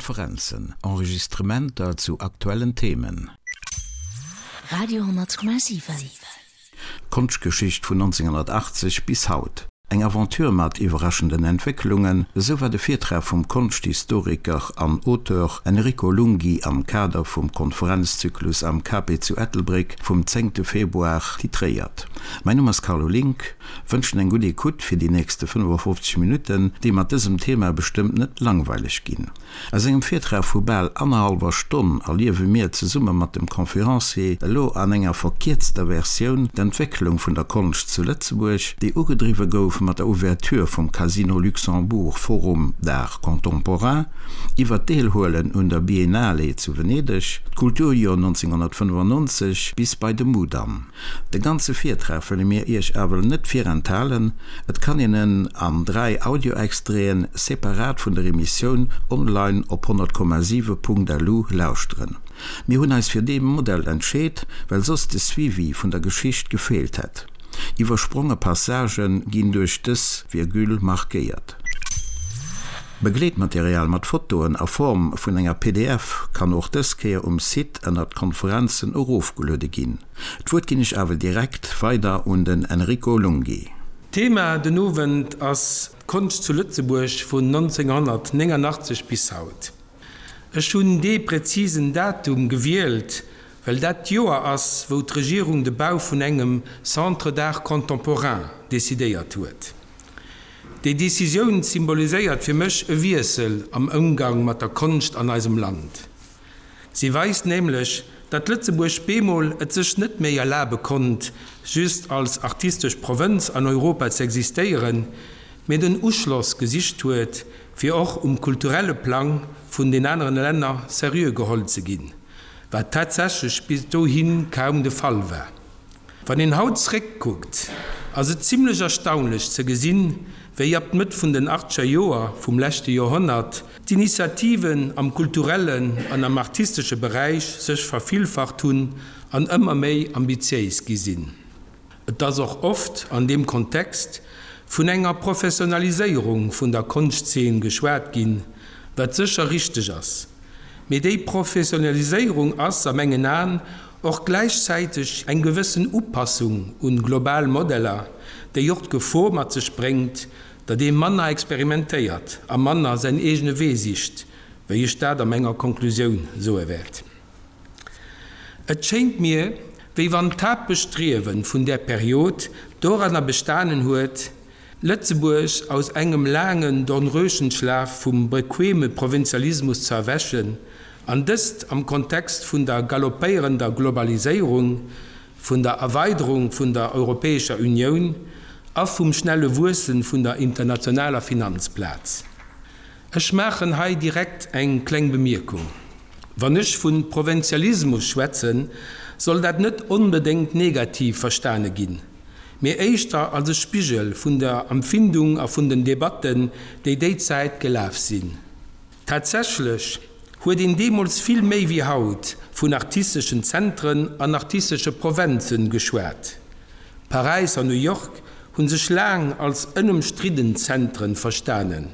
Konferenzen, Enregistrementer zu aktuellen Themen. Radio 10,7. D'Konschtgeschicht vun 1980 bis haut, eng Aventure mat iwwerraschenden Entwécklungen, esou war de Virtrag vum Konschthistoriker an Auteur Enrico Lunghi am Kader vum Konferenzzyklus am Cape zu Ettelbréck vum zéngte Februar titréiert. Mäin Numm ass Carlo Link, wënschen eng gutt Ecoute fir déi nächste 55 Minutten, déi mat dësem Thema bestëmmt net langweileg ginn. A sengem Virtrag vu bal annerhallwer Stonn erliewe mir zesumme mat dem Conférencier elo an enger verkierzter Versioun d'Entwécklung vun der Konscht zu Lëtzebuerg, déi ugedriwwe gouf mat der Ouverture vum Casino Luxembourg Forum d'Art Contemporain, iwwer d'Deelhuelen un der Biennale zu Venedeg, d'Kulturjoer 1995 bis bei de Mudam. De ganze Virtrag wëlle mir iech awel net virenthalen, et kann een en an 3 Audioextraiten separat vun der Emissioun online op 100,7.lu lauschteren. Mir hunn eis fir dee Modell entscheet, well soss de Suivi vun der Geschicht gefeelt hätt. Iwwerspronge Passagë ginn duerch dës Virgule markéiert. Begleetmaterial mat Fotoen a Form vun enger pdf kann och dës Kéier um Site ënnert Konferenzen erofgeluede ginn. D'Wuert ginn ech awer direkt weider un den Enrico Lunghi. D'Thema den Owend ass d'Konscht zu Lëtzebuerg vun 1989 bis haut. Ech hunn dee präzisen Datum gewielt, well dat d'Joer ass, wou d'Regierung de Bau vun engem Centre d'art contemporain decidéiert huet. Déi Decisioun symboliséiert fir mech e Wiessel am Ëmgang mat der Konscht an eisem Land. Si weist nämlech, datt Lëtzebuerg bemol et sech net méi erlabe konnt, just als artistesch Provënz an Europa ze existéieren, mee den Uschloss gesicht huet, fir och um kulturelle Plang vun den aneren Länner seriö geholl ze ginn, wat tatsächlech bis dohi kaum de Fall war. Wann een haut zréckkuckt, ass et zimlech erstaunlech ze gesinn, wéi ab d'Mëtt vun den achtzeger Joer vum leschte Joerhonnert d'Initiativen am kulturellen an am artistesche Beräich sech vervillfacht hunn an ëmmer méi ambitiéis gi sinn. Et ass och oft an deem Kontext vun enger Professionaliséierung vun der Konschtzeen geschwat ginn, wat sécher richteg ass. Mee déi Professionaliséierung ass a mengen Aen och gläichzäiteg eng gewëssen Upassung un global Modeller, déi och d'Gefor mat sech bréngt, datt ee manner experimentéiert a manner säin eegene Wee sicht, wéi ech dat a menger Konklusioun soe wäert. Et schéint mir, wéi wann d'Haaptbestriewe vun där Period doranner bestanen huet, Lëtzebuerg aus engem laangen Dornröschenschlaf vum bequeme Provinzialismus ze erwächen, an dëst am Kontext vun der galoppéierender Globaliséierung, vun der Erweiderung vun der Europäescher Unioun a vum schnelle Wuesse vun der internationaler Finanzplaz. Ech maachen hei direkt eng kleng Bemierkung. Wann ech vu Provinzialismus schwätzen, soll dat net onbedéngt negativ verstane ginn. mee éischter als e Spigel vun der Empfindung a vun den Debatten, déi déi Zäit gelaf sinn. Tatsächlech huet een deemools vill méi wéi haut vun artisteschen Zentren an artistesche Provenzen geschwat. Paräis an New York hu sech laang als ënëmstridden Zentren verstanen,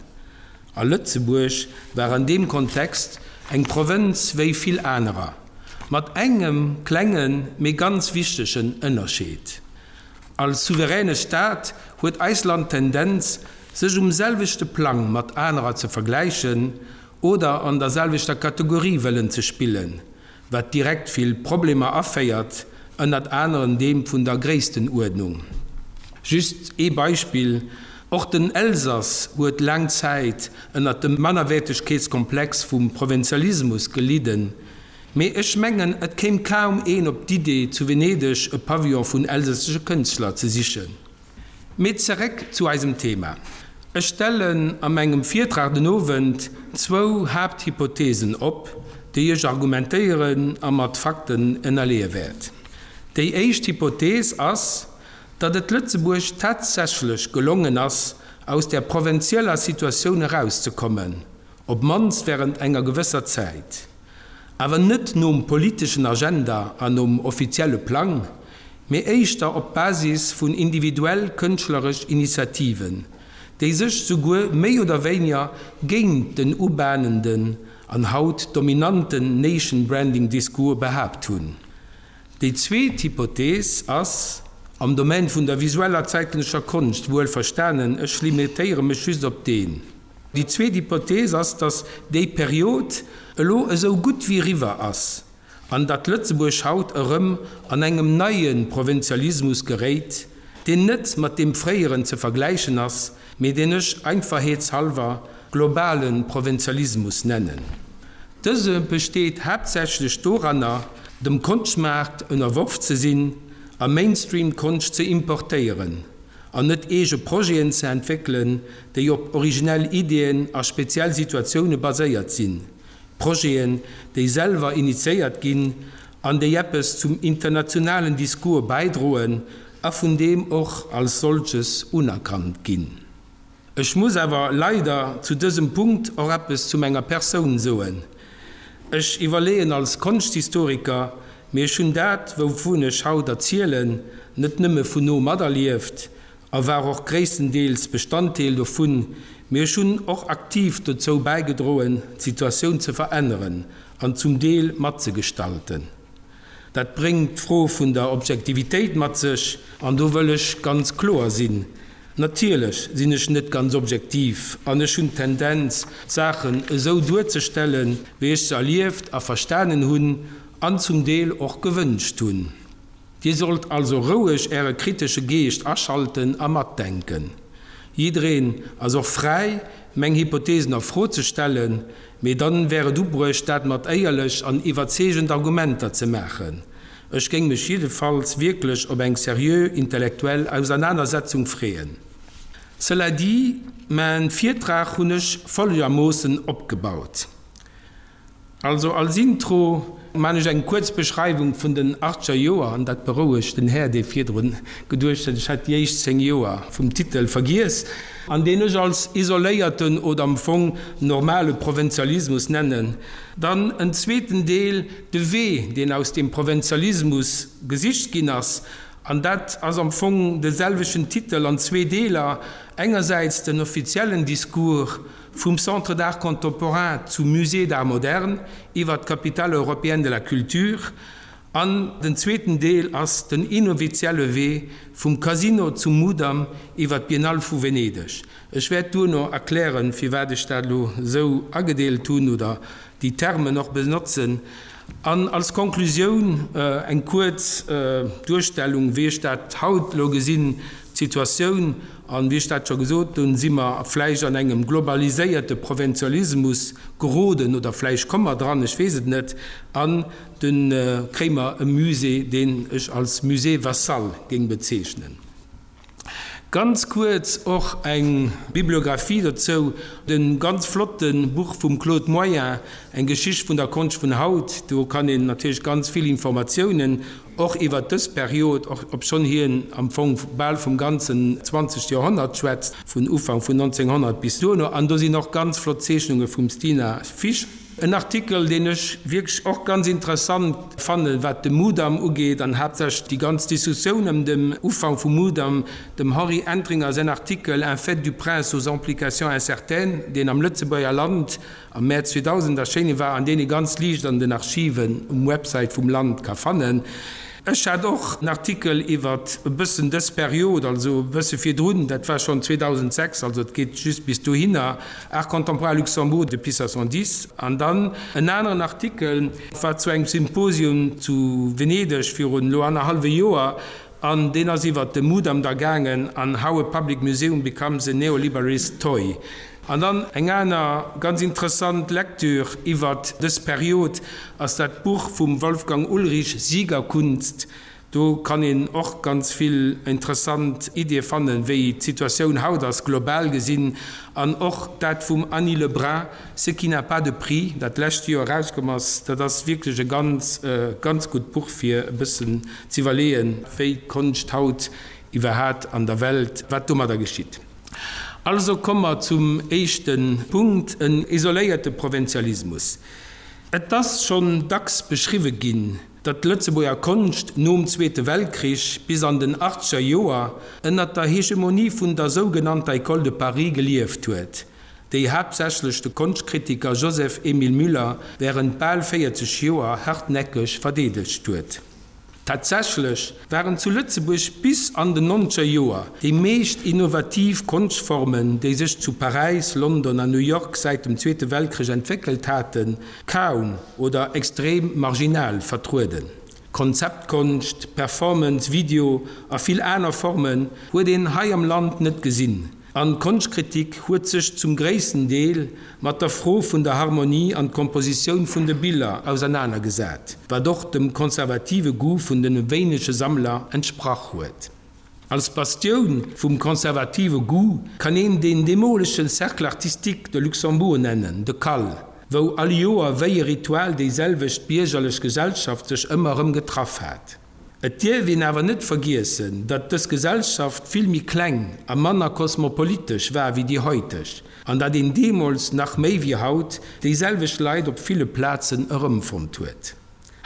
a Lëtzebuerg war an deem Kontext eng Provënz wéi vill anerer. Mat engem klengen, mee ganz wichtegen Ënnerscheed, Als souveräne Staat huet eist Land d'Tendenz, sech um selwechte Plang mat anerer ze vergläichen oder an der selwechter Kategorie wëllen ze spillen, wat direkt vill Problemer aféiert, ënnert aneren deem vun der Gréisstenuerdnung. Just ee Beispill, Och den Elsass huet laang Zäit ënnert dem Mannerwäertegkeetskomplex vum Provinzialismus gelidden, mee ech mengen, et kéim kaum een op d'Idee, zu Venedeg e Pavillon vun elsässesche Kënschtler ze sichen. Mee zeréck zu eisem Thema. Ech stellen a mengem Virtrag den Owend zwou Haapthypothesen op, déi ech argumentéieren a mat Fakten ënnerleeë wäert. Déi éischt Hypothees ass, datt et Lëtzebuerg tatsächlech gelongen ass, aus där provinzieller Situatioun erauszekommen, op d'mannst während enger gewësser Zäit. Awer net nom politeschen Agenda an nom offizielle Plang, mee éischter op Basis vun individuell kënschtleresch Initiativen, déi sech souguer méi oder wéiniger géint den ubahnenden. an haut dominanten Nation Branding Discours behaapt hunn. Déi zweet Hypothees ass, am Domaine vun der visueller zäitgenëssescher Konscht wuel verstanen, ech limitéiere mech just op deen. Déi zweet Hypothees ass, datt déi Period elo esou gutt wéi eriwwer ass an datt Lëtzebuerg haut erëm an engem neie Provinzialismus geréit, deen net mat deem fréieren ze vergläichen ass, mee deen ech einfachheetshallwer globale Provinzialismus nennen. Dëse besteet haaptsächlech doranner, dem Konschtmaart ënnerworf ze sinn a Mainstream-Konscht ze importéieren an net eege Projeten ze entwéckelen, déi op originell Ideeën a speziell Situatioune baséiert sinn, Projeten, déi selwer initiéiert ginn an déi eppes zum internationalen Discours bäidroen a vun deem och als solches unerkannt ginn. Ech muss awer leider zu dësem Punkt och eppes zu menger Persoun soen. Ech iwwerleeën als Konschthistoriker, mee ech hunn dat, wouvun ech haut erzielen, net nëmme vun no materlieft a war och gréisstendeels Bestanddeel dovun, mee ech hunn och aktiv dozou bäigedroen, d'Situatioun ze veränneren an zum Deel matzegestalten. Dat bréngt d'Fro vun der Objektivitéit mat sech, an do wëll ech ganz kloer sinn, Natierlech sinn ech net ganz objektiv an ech hunn d'Tendenz, d'Saachen esou duerzestellen, wéi ech se erlieft a verstanen hunn an zum Deel och gewënscht hunn. Dir sollt also roueg Äre kritesche Geescht aschalten a matdenken. Jiddereen ass och fräi, meng Hypothesen a Fro ze stellen, mee dann wär et ubruecht, dat mat éierlech an iwwerzeegend Argumenter ze maachen. Ech géing mech jiddefalls wierklech op eng seriö intellektuell Ausernanersetzung freeën. Cela dit, main Virtrag hunn ech folgermoossen opgebaut. Also als Intro maan ech eng kuerz Beschreiwung vun den achtzeger Joer, an dat berouegt den Här, dee virdrun geduecht huet, ech hätt déi éischt 10 Joer vum Titel vergiess, an deen ech als isoléierten oder am Fong normale Provinzialismus nennen. Dann en zweeten Deel, de Wee, deen aus deem Provinzialismus gesicht ginn ass, an dat ass am Fong de selwechten Titel an zwee Deeler, engersäits den offiziellen Discours, Vum Centre d'art contemporain zum Musée d'art moderne iwwer d'Capitale européenne de la culture an den zweeten Deel ass den inoffizielle Wee vum Casino zum Mudam iwwer d'Biennale vu Venedeg. Ech wäert duerno erklären, firwat ech dat elo esou agedeelt hunn oder déi Termen och benotzen. An als Konklusioun eng kuerz Duerstellung, wéi ech dat haut elo gesinn, d'Situatioun. An, wéi ech dat scho gesot hunn, si mer vläicht an engem globaliséierte Provinzialismus geroden oder vläicht komme mer dran, ech weess et net. An dunn kréie mer e Musée, deen ech als Musée vassal géing bezeechnen. Ganz kuerz och eng Bibliographie dozou, de ganz flotte Buch vum Claude Moyen, Eng Geschicht vun der Konscht vun haut. Do kann een natierlech ganz vill Informatiounen och iwwert dës Period, och obschonn hien am Fong bal vum ganzen 20. Joerhonnert schwätzt, vun Ufank vun 1900 bis duerno. An do sinn och ganz flott Zeechnunge vum Stina Fisch. En Artikel, deen ech wierklech och ganz interessant fannen, wat de Mudam ugeet an haaptsächlech déi ganz Diskussioun ëm dem Ufank vum Mudam, dem Henri Entringer säin Artikel Un fait du prince aux implications incertaines, deen am Lëtzebuerger Land am Mäerz 2000 erschéine war an deen ee ganz liicht an den Archiven um Website vum Land ka fannen. Ech hat och en Artikel iwwert e bëssen dës Period, also e bësse virdrun, dat war schonn 2006, also et geet just bis dohinner, Art contemporain à Luxembourg depuis 70. An dann en aneren Artikel war zu engem Symposium zu Venedeg virun elo annerhallwe Joer, an deen ass iwwert de Mudam da gaangen an How a Public Museum Becomes a Neoliberalist Toy. An dann eng aner ganz interessant Lektür iwwert dës Period ass dat Buch vum Wolfgang Ullrich Siegerkunst. Do kann een och ganz vill interessant Iddie fannen, wéi d'Situatioun haut ass, global gesinn. An och dat vum Annie Le Brun, Ce qui n'a pas de prix, dat d'lescht Joer erauskomm ass, dat ass wierklech e ganz, ganz gutt Buch, fir e bëssen z'iwwerleeën, wéi d'Konscht haut iwwerhat an der Welt, wat domadder geschitt. Also komme mer zum éischte Punkt, en isoléierte Provinzialismus. Et ass schonn dacks beschriwwe ginn, datt d'Lëtzebuerger Konscht nom Zweete Weltkrich bis an den achtzeger Joer ënnert der Hegemonie vun der sougenannter École de Paris gelieft huet. Déi haaptsächlech de Konschtkritiker Joseph Emile Müller wärend bal 40 Joer hartnäckeg verdeedegt huet. Tatsächlech waren zu Lëtzebuerg bis an den nonzeger Joer déi meescht innovativ Konschtformen, déi sech zu Paräis, London an New York säit dem Zweete Weltkrich entwéckelt haten, kaum oder extrem marginal vertrueden. Konzeptkonscht, Performance, Video a vill aner Formen huet een hei am Land net gesinn. An d'Konschtkritik huet sech zum gréissten Deel mat der Fro vun der Harmonie an d'Kompositioun vun de Biller ausernanergesat, wat och dem konservative Goût vun de wéinege Sammler entsprach huet. Als Bastioun vum konservative Goût kann een deen deemolege Cercle artistique de Luxembourg nennen, de CAL, wou all Joer wéi e Ritual déi selwecht biergerlech Gesellschaft sech ëmmer erëm getraff hat. Et dierf een awer net vergiessen, datt dës Gesellschaft vill méi kleng a manner kosmopolitesch war wéi déi heuteg, an datt een deemools nach méi wéi haut déi selwecht Leit op ville Plazen erëmfonnt huet.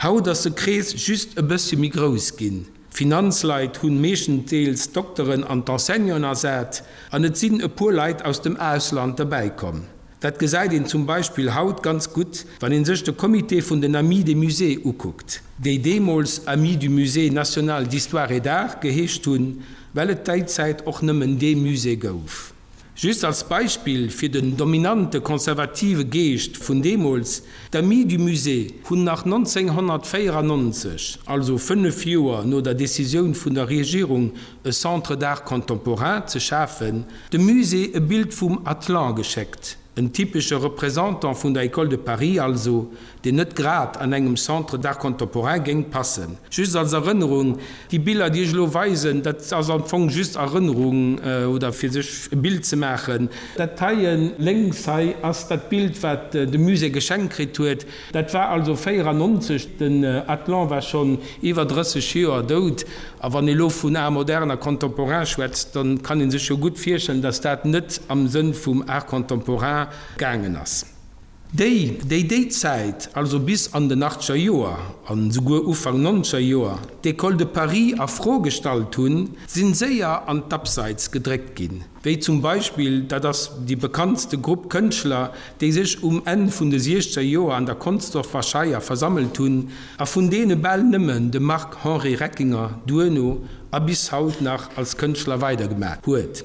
Haut ass de Krees just e bëssche méi grouss ginn, d'Finanzleit hunn meeschtendeels d'Dokteren an d'Enseignanten ersat an et sinn e puer Leit aus dem Ausland derbäikomm. Dat gesäit een zum Beispill haut ganz gutt, wann ee sech de Comité vun den Amis des Musées ukuckt, déi deemools Amis du Musée national d'histoire et d'art geheescht hunn, well et déi Zäit och nëmmen dee Musée gouf. Just als Beispill fir den dominante konservative Geescht vun deemools, D'Amis du Musée hunn nach 1994, also fënnef Joer no der Decisioun vun der Regierung e Centre d'art contemporain ze schafen, dem Musée e Bild vum Atlan geschéckt, en typesche Représentant vun der École de Paris also, deen net grad an engem Centre d'art contemporain géing passen. Just als Erënnerung, déi Biller, déi ech elo weisen, dat ass am Fong just Erënnerung oder fir sech e Bild ze maachen. Dat heien lénks hei ass dat Bild, wat de Musée geschenkt kritt huet. Dat war also 94, den Atlan war schonn iwwer 30 Joer dout. A wann ee lo vun Art moderne a contemporain schwätzt, da kann ee sech jo gutt virstellen, datt dat net am Sënn vum Art contemporain gaangen ass. Déi, déi déi Zäit, also bis an den achtzeger Joer an esouguer Ufank nonzeger Joer, d'École de Paris a Fro gestallt hunn, sinn séier an d'Abseits gedréckt ginn, wéi zum Beispill, dat ass déi bekanntste Grupp Kënschtler, déi sech um Enn vun de siechzeger Joer an der Consdorfer Scheier versammelt hunn a vun deene bal nëmmen de Marc-Henri Reckinger duerno a bis haut nach als Kënschtler weidergemaach huet.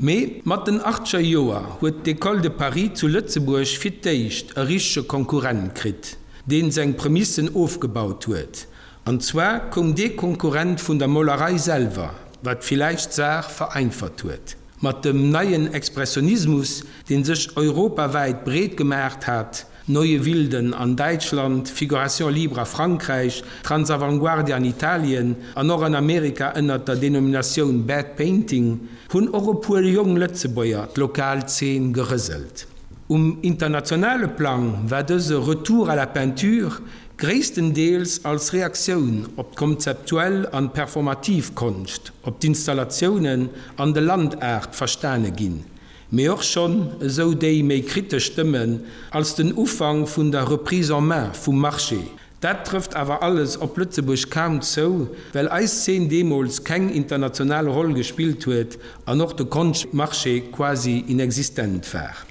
Mee mat den achtzeger Joer huet d'École de Paris zu Lëtzebuerg fir d'éischt e richtege Konkurrent kritt, deen seng Premissen ofgebaut huet. An zwar koum dee Konkurrent vun der Molerei selwer, wat villäicht d'Saach vereinfert huet. Mat dem neien Expressionismus, dee sech europawäit breet gemaacht hat, Neue Wilden an Däitschland, Figuration libre a Frankräich, Transavanguardia an Italien an och an Amerika ënnert der Denominatioun Bad Painting, hunn och e puer jong Lëtzebuerger d'lokal Zeen gerëselt. Um internationale Plang war dëse Retour à la peinture gréisstendeels als Reaktioun op d'konzeptuell an performativ Konscht, op d'Installatiounen an de Land-Art verstane ginn, mee och schonn, esou déi méi kritesch Stëmmen, als den Ufank vun der Reprise en main vum Marché. Dat trëfft awer alles op Lëtzebuerg kaum zou, well eis Zeen deemools keng international Roll gespillt huet an och de Konschtmarché quasi inexistent war.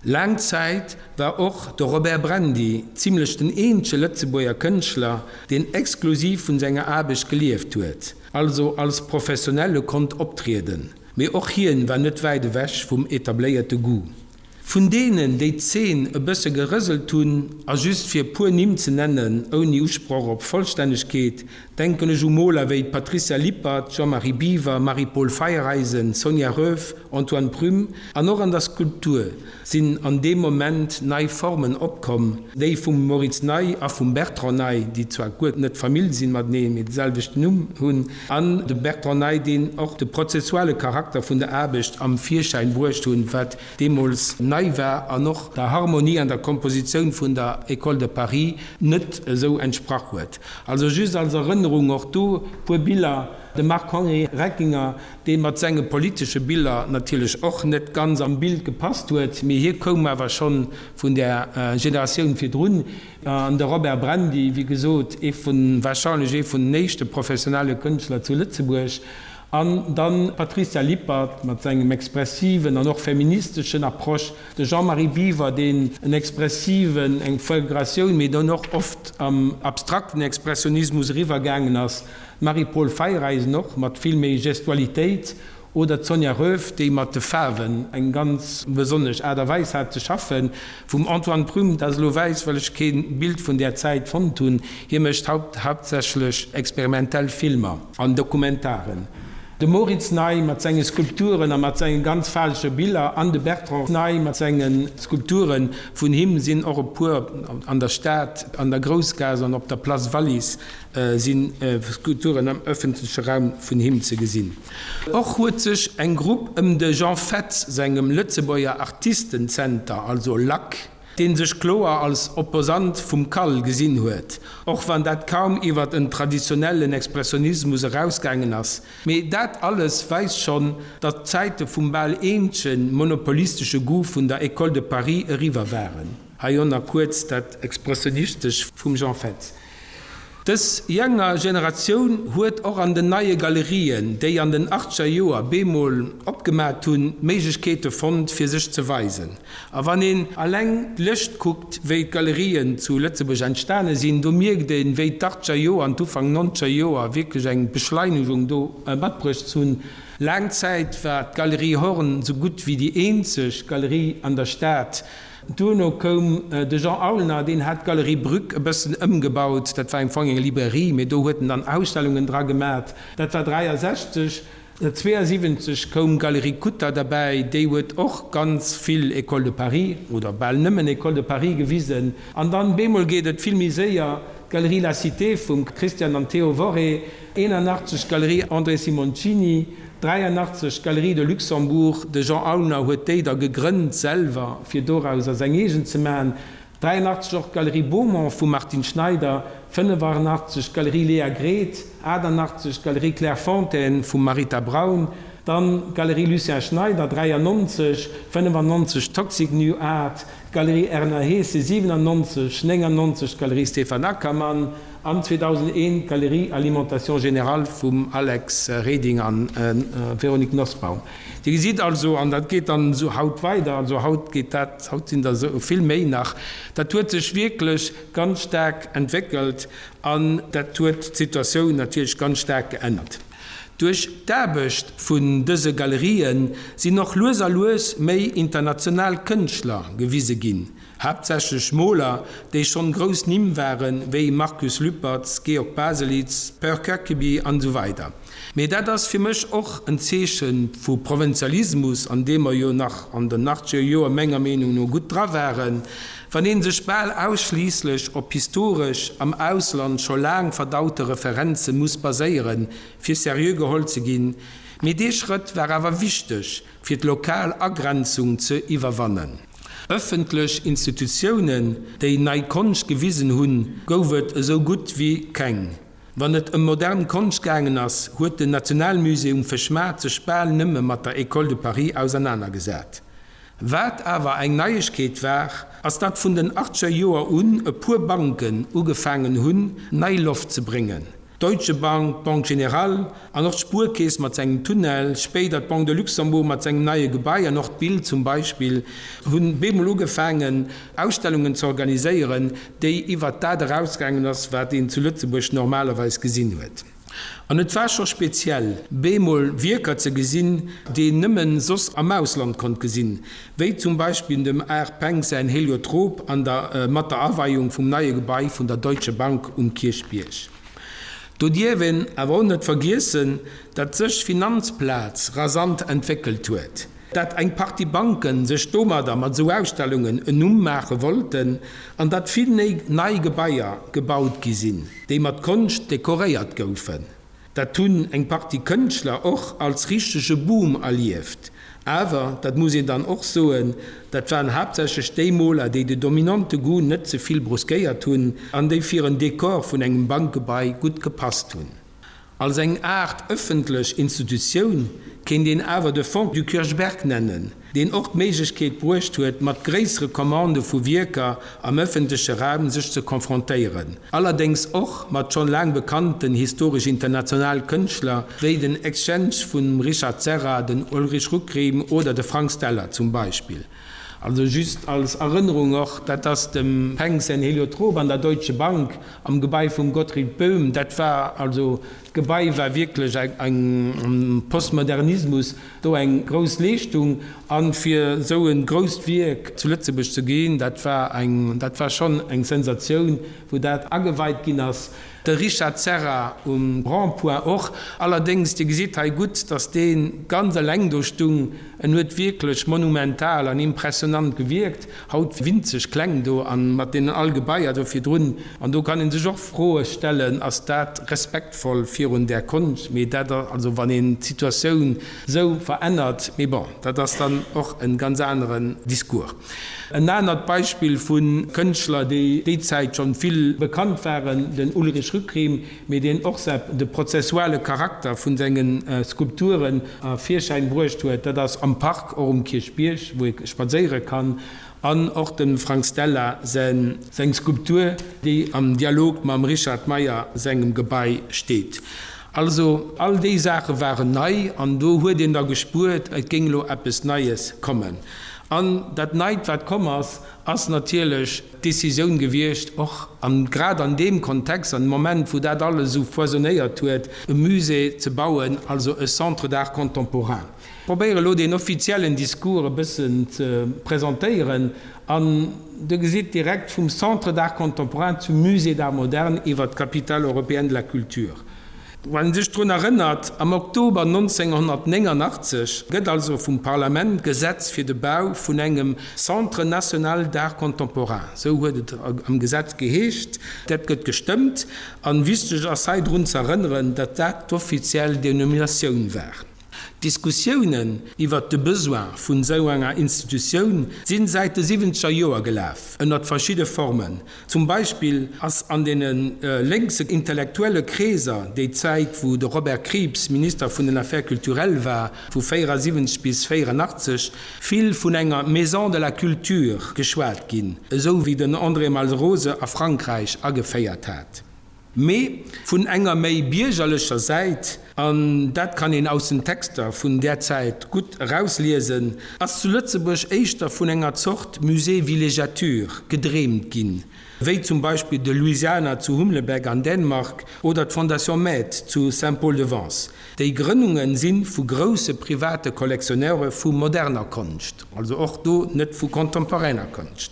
Laang Zäit war och de Robert Brandy zimlech den eenzege Lëtzebuerger Kënschtler, deen exklusiv vun senger Aarbecht gelieft huet, also als Professionelle konnt optrieden. Mee och hien war net wäit ewech vum etabléierte Goût. Vun deenen, déi d'Zeen e bësse gerëselt hunn, a just fir e puer Nimm ze nennen, ouni Usproch op Vollstännegkeet, denken ech u Moler wéi d'Patricia Lippert, Jean-Marie Biwer, Marie-Paule Feiereisen, Sonia Roeff, Antoine Prüm, an och an der Skulptur sinn an deem Moment nei Formen opkomm, déi vum Moritz Ney a vum Bertrand Ney, déi zwar guer net Famill sinn mateneen, mee de selwechten Numm hunn, an de Bertrand Ney, deen och de prozessuale Charakter vun der Aarbecht am Virschäin bruecht hunn, wat deemools nei war an och der Harmonie an der Kompositioun vun der École de Paris net esou entsprach huet. Also just als Erënnerung och do puer Biller, de Marc-Henri Reckinger, dee mat senge politesche Biller natierlech och net ganz am Bild gepasst huet, mee hie koum awer schonn vun där Generatioun virdrun, an de Robert Brandy, wéi gesot, ee vun, warscheinlech ee vun den éischte professionelle Kënschtler zu Lëtzebuerg. An dann d'Patricia Lippert mat sengem expressiven an och feministeschen Approche, de Jean-Marie Biwer, deen en expressiven, eng Fulguratioun, mee dann och oft am abstrakten Expressionismus eriwwer gaangen ass, d'Marie-Paule Feyereisen och mat vill méi Gestualitéit, Oder d'Sonja Roeff, déi mat de Faarwen eng ganz besonnesch Aart a Weis hat ze schaffen. Vum Antoine Prüm, dat ass elo wäiss, well ech kee Bild vun där Zäit fonnt hunn, hie mécht haaptsächlech experimentell Filmer an Dokumentaren. De Moritz Ney mat senge Skulpturen a mat senge ganz faarwege Biller an de Bertrand Ney mat senge Skulpturen. Vun him sinn och e puer an der Stad, an der Groussgaass an op der Place Wallis si Skulpturen am ëffentleche Raum vun him ze gesinn. Och huet sech eng Grupp ëm de Jean Fetz sengem Lëtzebuerger Artistenzenter, also lac, dee sech kloer als Opposant vum CAL gesinn huet, och wann dat kaum iwwer en traditionellen Expressionismus erausgaangen ass. Mee dat alles weist schonn, datt d'Zäite vum bal eenzege monopolistesche Goût vun der École de Paris eriwwer waren. Hei och nach kuerz dat Expressionistesch vum Jean Fetz. Dës jenger Generatioun huet och an den neie Galerien, déi an den achtzeger Joer bemol opgemat hunn, d'Méiglechkeete fonnt, fir sech ze weisen. A wann een alleng d'Lëscht kuckt, wéi d'Galerien zu Lëtzebuerg entstane sinn, do mierkt een, wéi d'achtzeger Joer an d'Ufank nonzeger Joer wierklech eng Beschleinegung do matbruecht hunn. Laang Zäit war d'Galerie Horn sou gutt wéi déi eenzeg Galerie an der Stad, Duerno koum de Jean Aulner, deen hat d'Galerie Brück e bëssen ëmgebaut. Dat war am Fong eng Librairie, mee do huet en dann Ausstellungen dra gemat. Dat war 63. 72 koum d'Galerie Kutter derbäi, déi huet och ganz vill École de Paris, oder bal nëmmen École de Paris gewisen. An dann bemol geet et vill méi séier, d'Galerie La Cité vum Christian an Theo Worré, 81 d'Galerie André Simoncini, 83 d'Galerie de Luxembourg, de Jean Aulner huet déi da gegrënnt selwer, fir dorauser seng eegen ze maachen, 83 och d'Galerie Beaumont vum Martine Schneider, 85 d'Galerie Léa Gret, 88 d'Galerie Claire Fontaine vum Marita Braun, dann d'Galerie Lucien Schneider, 93, 95 Toxic New Art, d'Galerie Erna Hesse, 97, 99 d'Galerie Stéphane Ackermann an 2001 d'Galerie Alimentation Générale vum Alex Reding a Véronique Nosbaum. Dir gesitt also, an dat geet dann esou haut weider, also haut geet dat, haut sinn der esou vill méi nach, dat huet sech wierklech ganz staark entwéckelt an dat huet d'Situatioun natierlech ganz staark geännert. Duerch d'Aarbecht vun dëse Galerië sinn och lues a lues méi international Kënschtler gewise ginn, haaptsächlech Moler, déi schonn grouss Nimm waren, wéi Markus Lüpertz, Georg Baselitz, Per Kirkeby an esou weider. Mee dat ass fir mech och en Zeeche vu Provinzialismus, an deem mer jo nach an den achtzeger Joer menger Meenung no gutt dra waren, wann ee sech bal ausschliisslech op historesch, am Ausland scho laang verdaute Referenze muss baséieren, fir seriö geholl ze ginn. Mee dee Schrëtt war awer wichteg, fir d'lokal Agrenzung ze iwwerwannen. Ëffentlech Institutiounen, déi nei Konscht gewisen hunn, gouf et esou gutt wéi keng. Wann et ëm modern Konscht gaangen ass, huet den Nationalmusée um Fëschmaart sech bal nëmme mat der École de Paris ausernanergesat. Wat awer eng Neiegkeet war, ass datt vun den achtzeger Joer un e puer Banken ugefaangen hunn, nei Loft ze bréngen, d'Deutsche Bank, d'Banque Générale an och d'Spuerkeess mat sengem Tunnel, spéider d'Banque de Luxembourg mat sengem neie Gebai an och d'Bild zum Beispill, hunn bemol ugefaangen, Ausstellungen ze organiséieren, déi iwwert dat erausgaangen ass, wat een zu Lëtzebuerg normalerweis gesinn huet. An et war scho speziell, bemol Wierker ze gesinn, déi een nëmmen soss am Ausland konnt gesinn, wéi zum Beispill dem Art Penck säin Heliotrop an der mat der Aweiung vum neie Gebai vun der Deutsche Bank um Kierchbierg. Do dierf een awer och net vergiessen, datt sech d'Finanzplaz rasant entwéckelt huet. Dat eng Partie Banken sech domadder mat esou Ausstellungen en Numm maache wollten an datt vill nei Gebaier gebaut gi sinn, déi mat Konscht dekoréiert goufen. Dat hunn eng Partie Kënschtler och als richtege Boom erlieft. Awer, dat muss een dann och soen, dat waren haaptsächlech déi Moler, déi de dominante Goût net ze vill bruskéiert hunn an déi fir en Dekor vun engem Bankgebai gutt gepasst hunn. Als eng Aart ëffentlech Institutioun kéint een awer de Fonds du Kirchberg nennen. Deen och d'Méiglechkeet bruecht huet, mat gréissere Commandë vu Wierker am ëffentleche Raum sech ze confrontéieren, allerdéngs och mat schonn laang bekannten historesch international Kënschtler wéi den Exchange vum Richard Serra, den Ulrich Rückriem oder de Frank Stella zum Beispill. Also just als Erënnerung och, dat ass dem Penck säin Heliotrop an der Deutsche Bank am Gebai vum Gottfried Böhm, dat war also, d'Gebai war wierklech eng am Postmodernismus, Do eng grouss Leeschtung. An fir esou e grousst Wierk zu Lëtzebuerg ze ginn, dat war eng, dat war schonn eng Sensatioun, wou dat ageweit ginn ass. De Richard Serra um Rond-point och. Allerdéngs, Dir gesitt hei gutt, datt dee ganz eleng do stung. En huet wierklech monumental an impressionant gewierkt. Haut winzeg kleng do an mat deenen all Gebaier do virdrun. An do kann ee sech och Froe stellen, Ass dat respektvoll virun där Konscht? Mee dat, also wann een d'Situatioun esou verännert, mee bon, dat ass dann och e ganz aneren Discours. En anert Beispill vu Kënschtler, déi déi Zäit schonn vill bekannt waren, den Ulrich Rückriem, mee deen och de prozessuale Charakter vun senge Skulpturen a Virschäin bruecht huet, dat ass am Park, och um Kierchbierg, wou ee spadséiere kann, an och dem Frank Stella seng Skulptur, déi am Dialog mam Richard Meyer sengem Gebai steet. Also all déi Saache waren nei an do huet een da gespuert, et géing elo eppes Neies kommen. An dat Neit, wat komm ass, ass natierlech d'Decisioun gewiescht, och an grad an deem Kontext, an dem Moment, wou dat alles esou foisonnéiert huet, e Musée ze bauen, also e Centre d'art contemporain. Ech probéiere elo deen offiziellen Discours e bëssen ze presentéieren an Der gesitt direkt vum Centre d'art contemporain zum Musée d'art moderne iwwert d'Capitale européenne de la culture. Wann een sech drun erënnert, am Oktober 1989 gëtt also vum Parlament d'Gesetz fir de Bau vun engem Centre national d'art contemporain, esou huet et am Gesetz geheescht, dat gëtt gestëmmt. A wichteg ass hei drun ze erënneren, datt dat d'offiziell Denominatioun war. D'Diskussiounen iwwert de Besoin vun esou enger Institutioun sinn säit de siwwenzeger Joer gelaf, ënnert verschidde Formen. Zum Beispill ass an deene lénkse intellektuelle Kreeser déi Zäit, wou de Robert Krieps Minister vun den Affaires culturelles war, vu 74 bis 84, vill vun enger Maison de la culture geschwat ginn, esou wéi den André Malraux se a Frankräich ageféiert hat. Mee vun enger méi biergerlecher Säit, an dat kann een aus den Texter vun där Zäit gutt erausliesen, ass zu Lëtzebuerg éischter vun enger Zort Musée villégiature gedreemt ginn, wéi zum Beispill de Louisiana zu Humlebeck an Dänemark oder d'Fondation Maeght zu Saint-Paul-de-Vence. Déi Grënnunge si vu grousse private Collectionneure vu moderner Konscht, also och do net vu contemporainer Konscht.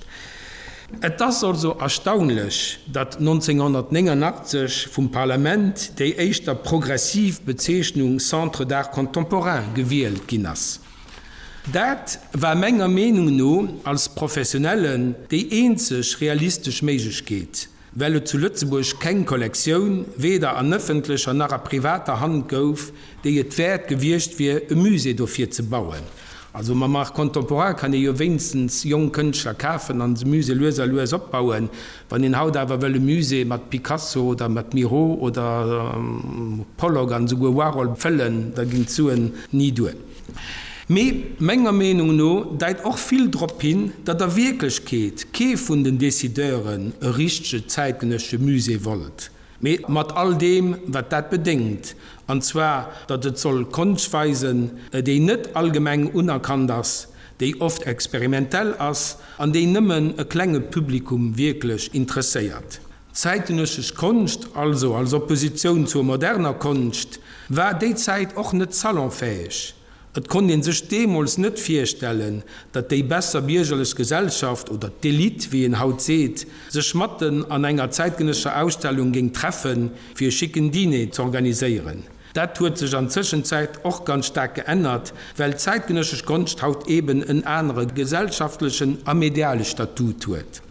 Et ass also erstaunlech, datt 1989 vum Parlament déi éischter progressiv Bezeechnung Centre d'art contemporain gewielt ginn ass. Dat war menger Meenung no als Professionellen déi eenzeg realistesch Méiglechkeet. Well et zu Lëtzebuerg keng Kollektioun, weder an ëffentlecher nach a privater Hand gouf, déi et wäert gewiescht wier, e Musée dofir ze bauen. Also mam Art contemporain kann ee jo wéinstens jonk Kënschtler kafen an se Musée lues a lues opbauen. Wann een haut awer wëll e Musée mat Picasso oder mat Miro oder Pollock an esouguer Warhol fëllen, da ginn d'Suen ni duer. Mee menger Meenung no deit och vill drop hin, datt a Wierklechkeet kee vun den Decideuren e richtege zäitgenëssesche Musée wollt, mee mat all deem, wat dat bedéngt, an zwar datt et soll Konscht weisen, déi net allgemeng unerkannt ass, déi oft experimentell ass an déi nëmmen e klenge Publikum wierklech interesséiert. Zäitgenëssesch Konscht, also als Oppositioun zur moderner Konscht, war déi Zäit och net salonfäeg. Et konnt een sech deemools net virstellen, datt déi besser biergerlech Gesellschaft, oder d'Elite, wéi een haut seet, sech matten an enger zäitgenëssescher Ausstellung géing treffen, fir e schicken Diner z'organiséieren. Dat huet sech an Zëschenzäit och ganz staark geännert, well d'zäitgenëssesch Konscht haut eben en anere gesellschaftlechen a mediale Statut huet.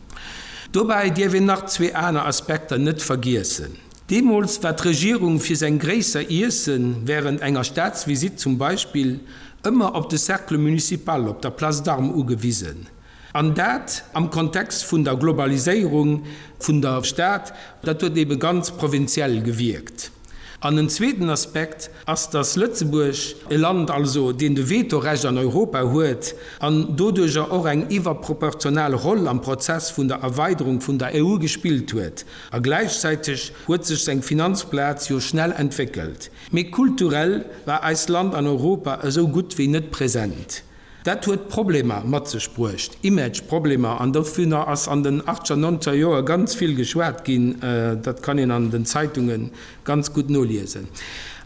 Dobäi dierf een nach zwee aner Aspekter net vergiessen. Deemools war d'Regierung fir seng gréisser Iessen, während enger Staatsvisitt zum Beispill, ëmmer op de Cercle municipal op der Place d'Armes ugewisen. An dat am Kontext vun der Globaliséierung vun der Stad, dat huet ebe ganz provinziell gewierkt. An en zweeten Aspekt ass, datt Lëtzebuerg, e Land also, deen de Vetorecht an Europa huet an doduerjer och eng iwwerproportional Roll am Prozess vun der Erweiderung vun der EU gespillt huet. A gläichzäiteg huet sech seng Finanzplaz jo schnell entwéckelt. Mee kulturell war eist Land an Europa esou gutt wéi net present. Dat huet Problemer mat sech bruecht, Image-Problemer, an dovunner ass an den achtzeger, nonzeger Joer ganz vill geschwat ginn. Dat kann een an den Zeitunge ganz gutt noliesen.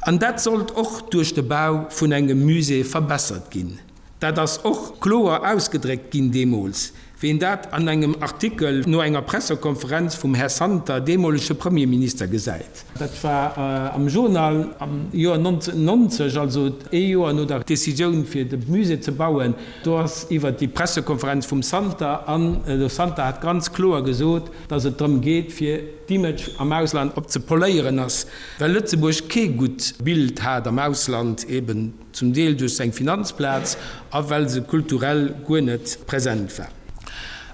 An dat sollt och duerch de Bau vun engem Musée verbessert ginn. Dat ass och kloer ausgedréckt ginn deemools, wéi een dat an engem Artikel no enger Pressekonferenz vum Här Santer, deemolege Premierminister, gesäit. Dat war am Journal am Joer 1990, also ee Joer no der Décisioun fir de Musée ze bauen. Do ass iwwert déi Pressekonferenz vum Santer, an de Santer hat ganz kloer gesot, datt et drëm geet fir d'Image am Ausland op ze poléieren ass, well Lëtzebuerg kee gutt Bild hat am Ausland, eben zum Deel duerch seng Finanzplaz a well se kulturell guer net present war.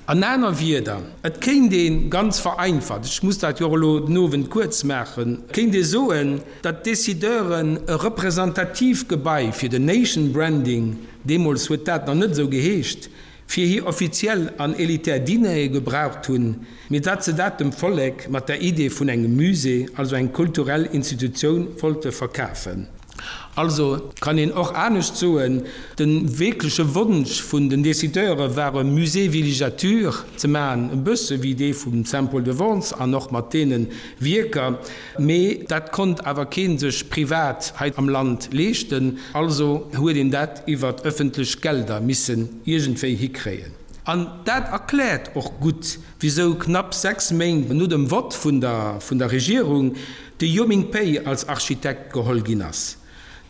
An aner Wierder, et kéint ee ganz vereinfacht, ech muss dat jo och elo den Owend kuerz maachen, kéint ee soen, datt d'Decideuren e representatiivt Gebai fir den Nation Branding, deemools huet dat nach net esou geheescht, fir hir offiziell an elitär Dinere gebraucht hunn, mee datt se dat dem Vollek mat der Idee vun engem Musée, also eng kulturell Institutioun, wollte verkafen. Also kann een och anescht soen, de wierkleche Wonsch vun den Decideure war e Musée villégiature ze maachen, e bësse wéi dee vum Saint-Paul-de-Vence an och mat deene Wierker, mee dat konnt awer kee sech privat hei am Land leeschten, also huet een dat iwwert ëffentlech Gelder missen iergendwéi hikréien. An dat erkläert och gutt, wisou knapp 6 Méint no dem Vott vun der Regierung De Yoming Pei als Architekt geholl ginn ass.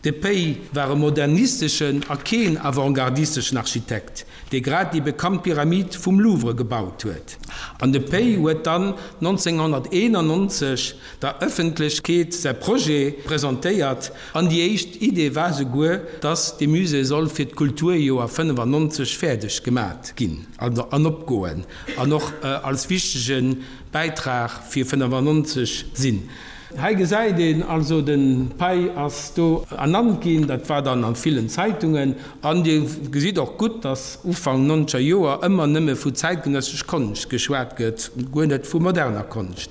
De Pei war e modernisteschen a keen avantgardisteschen Architekt, dee grad déi bekannt Pyramid vum Louvre gebaut huet. An de Pei huet dann 1991 der Ëffentlechkeet säi Projet presentéiert an déi éischt Idee war souguer, dass dee Musée soll fir d'Kulturjoer 95 fäerdeg gemat ginn an opgoen an och als wichtege Bäitrag fir 95 sinn. Hei gesäit een also, den Pei ass do ernannt ginn, dat war dann an villen Zeitungen. An Dir gesitt och gutt, dass Ufank nonzeger Joer ëmmer nëmme vu zäitgenëssesch Konscht geschwat gëtt, guer net vu moderner Konscht.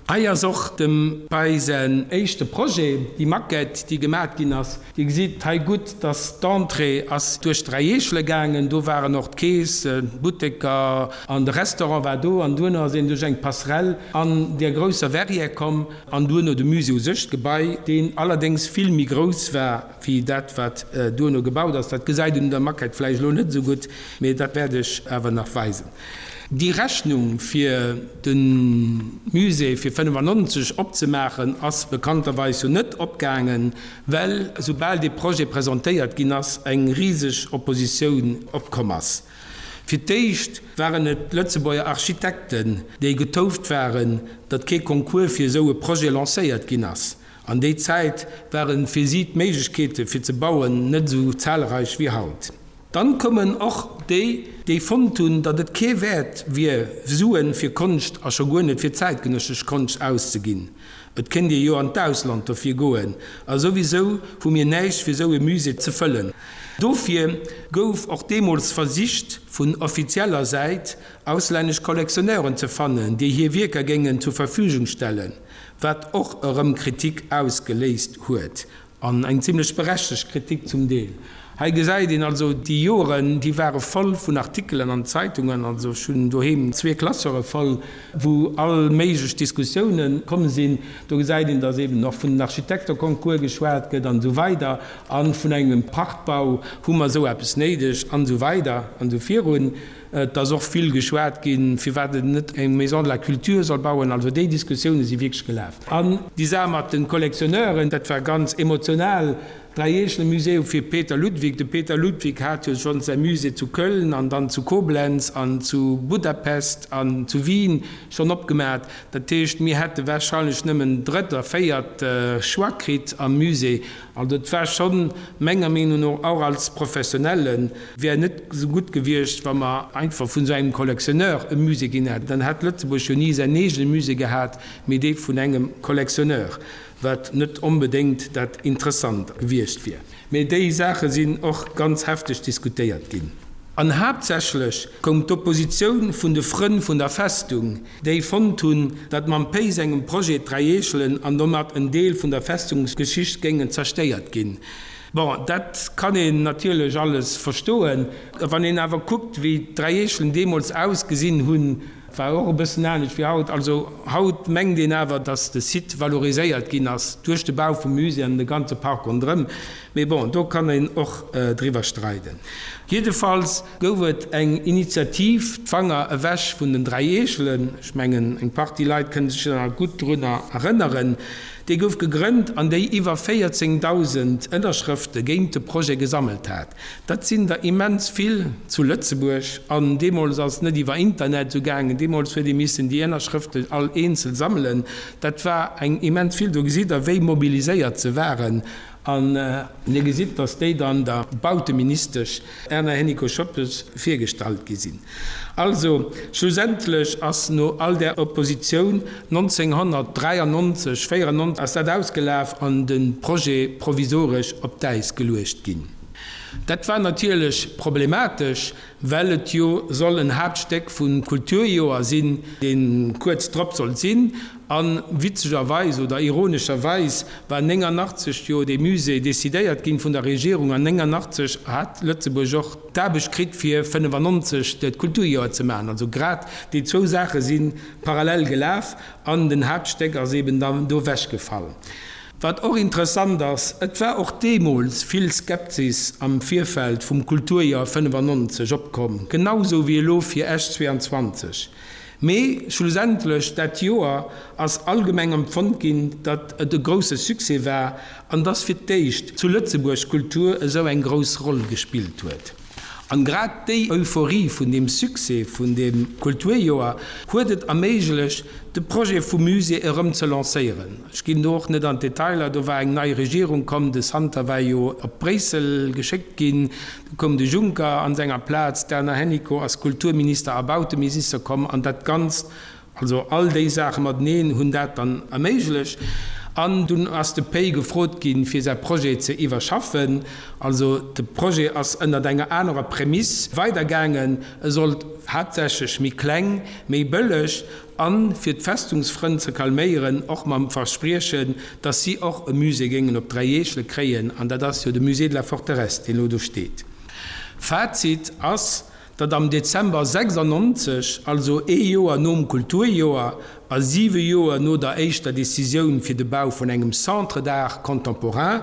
Hei ass och dem Pei säin éischte Projet, déi Maquette, déi gemat ginn ass. Dir gesitt hei gutt, dass d'Entrée ass duerch d'Dräieechele gaangen. Do waren och d'Keess, d'Butteker an de Restaurant war do. An duerno ass een duerch eng Passerelle an där grousser Verrière komm an duerno de Musée u sech, d'Gebai, deen allerdéngs vill méi grouss war wéi dat, wat duerno gebaut ass. Dat gesäit een un der Maquette vläicht elo net esou gutt, mee dat wäert ech awer nach weisen. Déi Rechnung fir de Musée fir 95 opzemaachen ass bekannterweis jo net opgaangen, well soubal dee Projet presentéiert ginn ass, eng riseg Oppositioun opkomm ass. Fir d'éischt waren et d'Lëtzebuerger Architekten, déi getouft waren, datt kee Concours fir esou e Projet lancéiert ginn ass. An déi Zäit ware fir si d'Méiglechkeete fir ze bauen net esou zahlreich wéi haut. Dann koumen och déi, déi fonnt hunn, datt et kee Wäert wier, Suen fir Konscht a scho guer net fir zäitgenëssesch Konscht auszeginn. Et kéint ee jo an d'Ausland dofir goen, a souwisou hu mir näischt fir sou e Musée ze fëllen. Dofir gouf och deemools versicht, vun offizieller Säit auslännesch Collectionneuren ze fannen, déi hir Wierker géingen zur Verfügung stellen, wat och erëm Kritik ausgeléist huet. An eng zimlech berechtegt Kritik zum Deel. Hei gesäit een also, déi Joren, déi ware voll vun Artikelen an Zeitungen, also ech hunn doheem zwee Classeure voll, wou all méiglech Diskussiounen komm sinn. Do gesäit een, datt eben och vun den Architekteconcours geschwat gëtt an esou weider a vun engem Prachtbau, hu mer esou eppes néideg an esou weider an esou virun. Et ass och vill geschwat ginn, firwat een net eng Maison de la Culture soll bauen. Also déi Diskussioune si wierklech gelaf. An déi Saach mat de Collectionneuren, dat war ganz emotional. Dräieechele-Museum fir Peter Ludwig. De Peter Ludwig hat jo schonns säi Musée zu Köln an dann zu Koblenz an zu Budapest an zu Wien schonn opgemat. Dat heescht, mir hätte warscheinlech nëmmen drëtt a véiert Choix kritt am Musée. Also et war schonn, menger Meenung no, och als Professionellen, wär net esou gutt gewiescht, wa mer einfach vun esou engem Collectionneur e Musée ginn hätten. Dann hätt Lëtzebuerg jo ni säin eegene Musée gehat, mee dee vun engem Collectionneur. wat net onbedéngt dat Interessant gewiescht wier. Mee déi Saache sinn och ganz hefteg diskutéiert ginn. An haaptsächlech koum d'Oppositioun vun de Frënn vun der Festung, déi fonnt hunn, datt mam Pei sengem Projet d'Dräi Eechelen an domat en Deel vun der Festungsgeschicht géingen zerstéiert ginn. Bon, dat kann een natierlech alles verstoen. Wann een awer kuckt, wéi d'Dräi Eechelen deemools ausgesinn hunn, War och e bëssen anescht wéi haut. Also haut mengt een awer, datt de Site valoriséiert ginn ass duerch de Bau vum Musée an de ganze Park ronderëm. Mee bon, do kann een och driwwer streiden. Jiddefalls gouf et eng Initiativ, d'Fanger ewech vun den 3 Eechelen. Ech mengen, eng Partie Leit kënne sech nach gutt drunner erënneren. Déi gouf gegrënnt an déi iwwer 14.000 Ënnerschrëfte géint de Projet gesammelt hat. Dat sinn der immens vill zu Lëtzebuerg. An deemools ass et net iwwer Internet esou gaangen, deemools huet ee missen déi Ënnerschrëften all eenzel sammelen. Dat war eng immens vill. Do gesitt Der, wéi mobiliséiert se waren. An Dir gesitt, datt déi dann der Bauteministesch Erna Hennicot-Schoepges virgestallt gi sinn. Also, schlussendlech ass no all där Oppositioun 1993, 94 ass dat ausgelaf an de Projet provisoresch op d'Äis geluecht ginn. Dat war natierlech problematesch, well et jo soll en Haaptstéck vum Kulturjoer sinn, dee kuerz drop sollt sinn. A witzegerweis oder ironescherweis war 89 jo dee Musée decidéiert ginn vun der Regierung an 89 hat Lëtzebuerg och d'Aarbecht kritt fir 95 d'Kulturjoer ze maachen. Also grad déi zwou Saache si parallel gelaf an den Haaptstéck ass eben dann do ewechgefall. Wat och interessant ass, et war och deemools vill Skepsis am Virfeld vum Kulturjoer 95 opkomm, genau sou wéi elo fir Esch 22. Mee schlussendlech dat Joer ass allgemeng empfonnt ginn, datt et e grousse Succès war an datt fir d'éischt zu Lëtzebuerg d'Kultur esou eng grouss Roll gespillt huet. An grad déi Euphorie vun deem Succès vun deem Kulturjoer huet et erméiglecht, de Projet vum Musée erëm ze lancéieren. Ech ginn do och net an d'Detailer, do war eng nei Regierung komm, de Santer war jo op Bréissel geschéckt ginn, du koum de Juncker an senger Plaz, d'Erna Hennicot ass Kulturminister a Bauteminister komm an dat Ganzt Also all déi Saache mateneen hunn dat dann erméiglecht. An dunn ass de Pei gefrot ginn, fir säi Projet ze iwwerschaffen. Also de Projet ass ënnert enger anerer Prämiss weidergaangen. E sollt haaptsächlech méi kleng, méi bëlleg an, fir d'Festungsfrënn ze calméieren, och mam Verspriechen, datt si och e Musée géingen op 3 Eechele kréien. An dat ass jo de Musée de la Forteresse, deen elo do steet. Fazit ass, datt am Dezember 96, also ee Joer nom Kulturjoer a siwe Joer no der éischter Decisioun fir de Bau vun engem Centre d'art contemporain,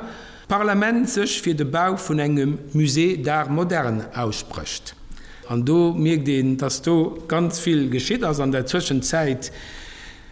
d'Parlament sech fir de Bau vun engem Musée d'art moderne aussprécht. An do mierkt een, datt do ganz vill geschitt ass an der Zwëschenzäit.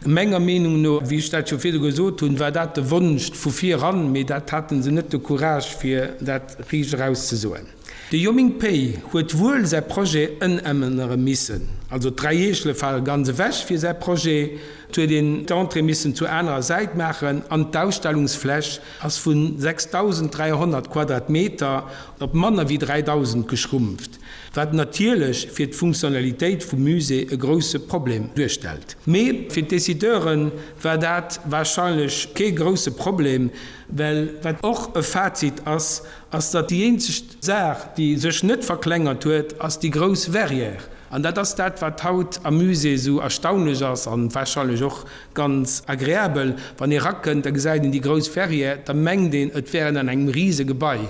Menger Meenung no, wéi ech dat scho virdu gesot hunn, war dat de Wonsch vu vir eran, mee dat hate se net de Courage fir dat riicht eraus ze soen. De Yoming Pei huet wuel säi Projet ëmännere missen, also d'Dräi Eechele fale ganz ewech fir säi Projet, et huet een d'Entrée missen zur anerer Säit maachen an d'Ausstellungsfläch ass vu 6.300 Quadratmeter op manner wéi 3.000 geschrumpft, wat natierlech fir d'Funktionalitéit vum Musée e grousse Problem duerstellt. Mee fir d'Decideure war dat warscheinlech kee grousse Problem, well wat och e Fazit ass, ass datt déi eenzeg Saach, déi sech net verklengert huet, ass déi grouss Verrière. An dat ass dat, wat haut am Musée esou erstaunlech ass an warscheinlech och ganz agreabel. Wann ee rakënnt, da gesäit een déi grouss Verrière, da mengt een, et wär een an engem Risegebai.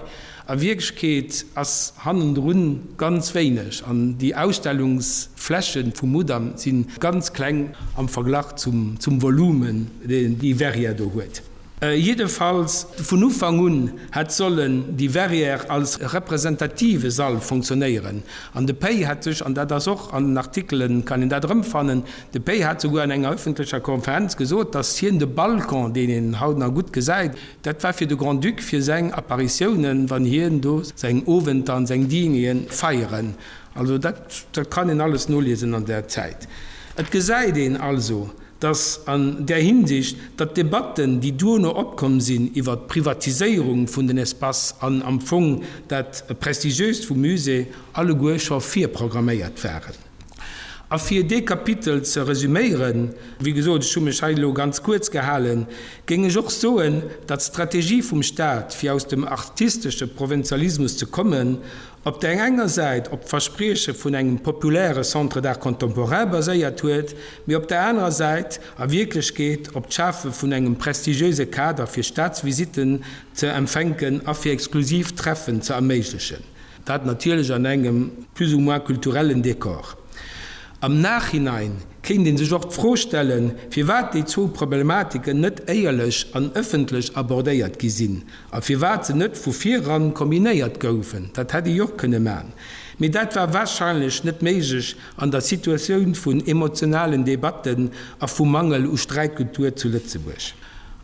A Wierklechkeet ass hannendrun ganz wéineg an déi Ausstellungsfläche vum Mudam si ganz kleng am Verglach zum Volumen, deen déi Verrière do huet. Jiddefalls vun Ufank un hätt sollen déi Verrière als representative Sall fonctionnéieren. An de Pei hätt sech, an dat ass och an den Artikelen, kann een dat erëmfannen, de Pei hat souguer an enger öffentlecher Konferenz gesot, datt hien de Balcon, deen een haut nach gutt gesäit, dat war fir de Grand-Duc, fir seng Apparitiounen, wann hien do seng Owenter an seng Dineren feieren. Also dat, dat kann een alles noliesen an där Zäit. Et gesäit een also, dass an där Hinsicht, datt d'Debatten, déi duerno opkomm sinn iwwert d'Privatiséierung vun den Espaces an am Fong dat Prestigiöst vum Musée, alleguer scho virprogramméiert waren. A fir dee Kapitel ze resüméieren, wéi gesot, ech hu mech hei elo ganz kuerz gehalen, géing ech och soen, datt d'Strategie vum Stat, fir aus dem artistesche Provinzialismus ze kommen, op där enger Säit op d'Versprieche vun engem populäre Centre d'art contemporain baséiert huet, mee op där anerer Säit a Wierklechkeet op d'Schafe vun engem prestigiöse Kader fir Staatsvisitten ze empfänken a fir exklusiv Treffen ze erméiglechen. Dat natierlech an engem plus ou moins kulturellen Dekor. Am Nachhinein kéint ee sech och d'Fro stellen, firwat déi zwou Problematiken net éierlech an ëffentlech abordéiert gi sinn a firwat se net vu viran kombinéiert goufen. Dat hätt ee jo och kënne man. Mee dat war warscheinlech net méiglech an der Situatioun vun emotionalen Debatten a vum Mangel u Sträitkultur zu Lëtzebuerg.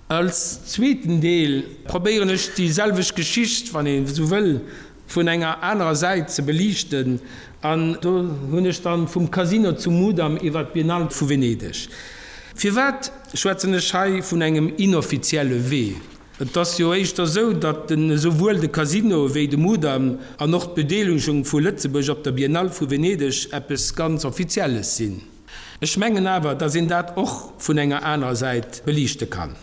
Als zweeten Deel probéieren ech déi selwecht Geschicht, wann een esou wëll, vun enger anerer Säit ze beliichten an do hunn ech dann vum Casino zum Mudam iwwer d'Biennale vu Venedeg. Firwat schwätzen ech hei vun engem inoffizielle Wee? Et ass jo éischter esou, datt den esouwuel de Casino wéi de Mudam an och d'Bedeelegung vu Lëtzebuerg op der Biennale vu Venedeg eppes ganz Offizielles sinn. Ech mengen awer, dass een dat och vun enger anerer Säit beliichte kann.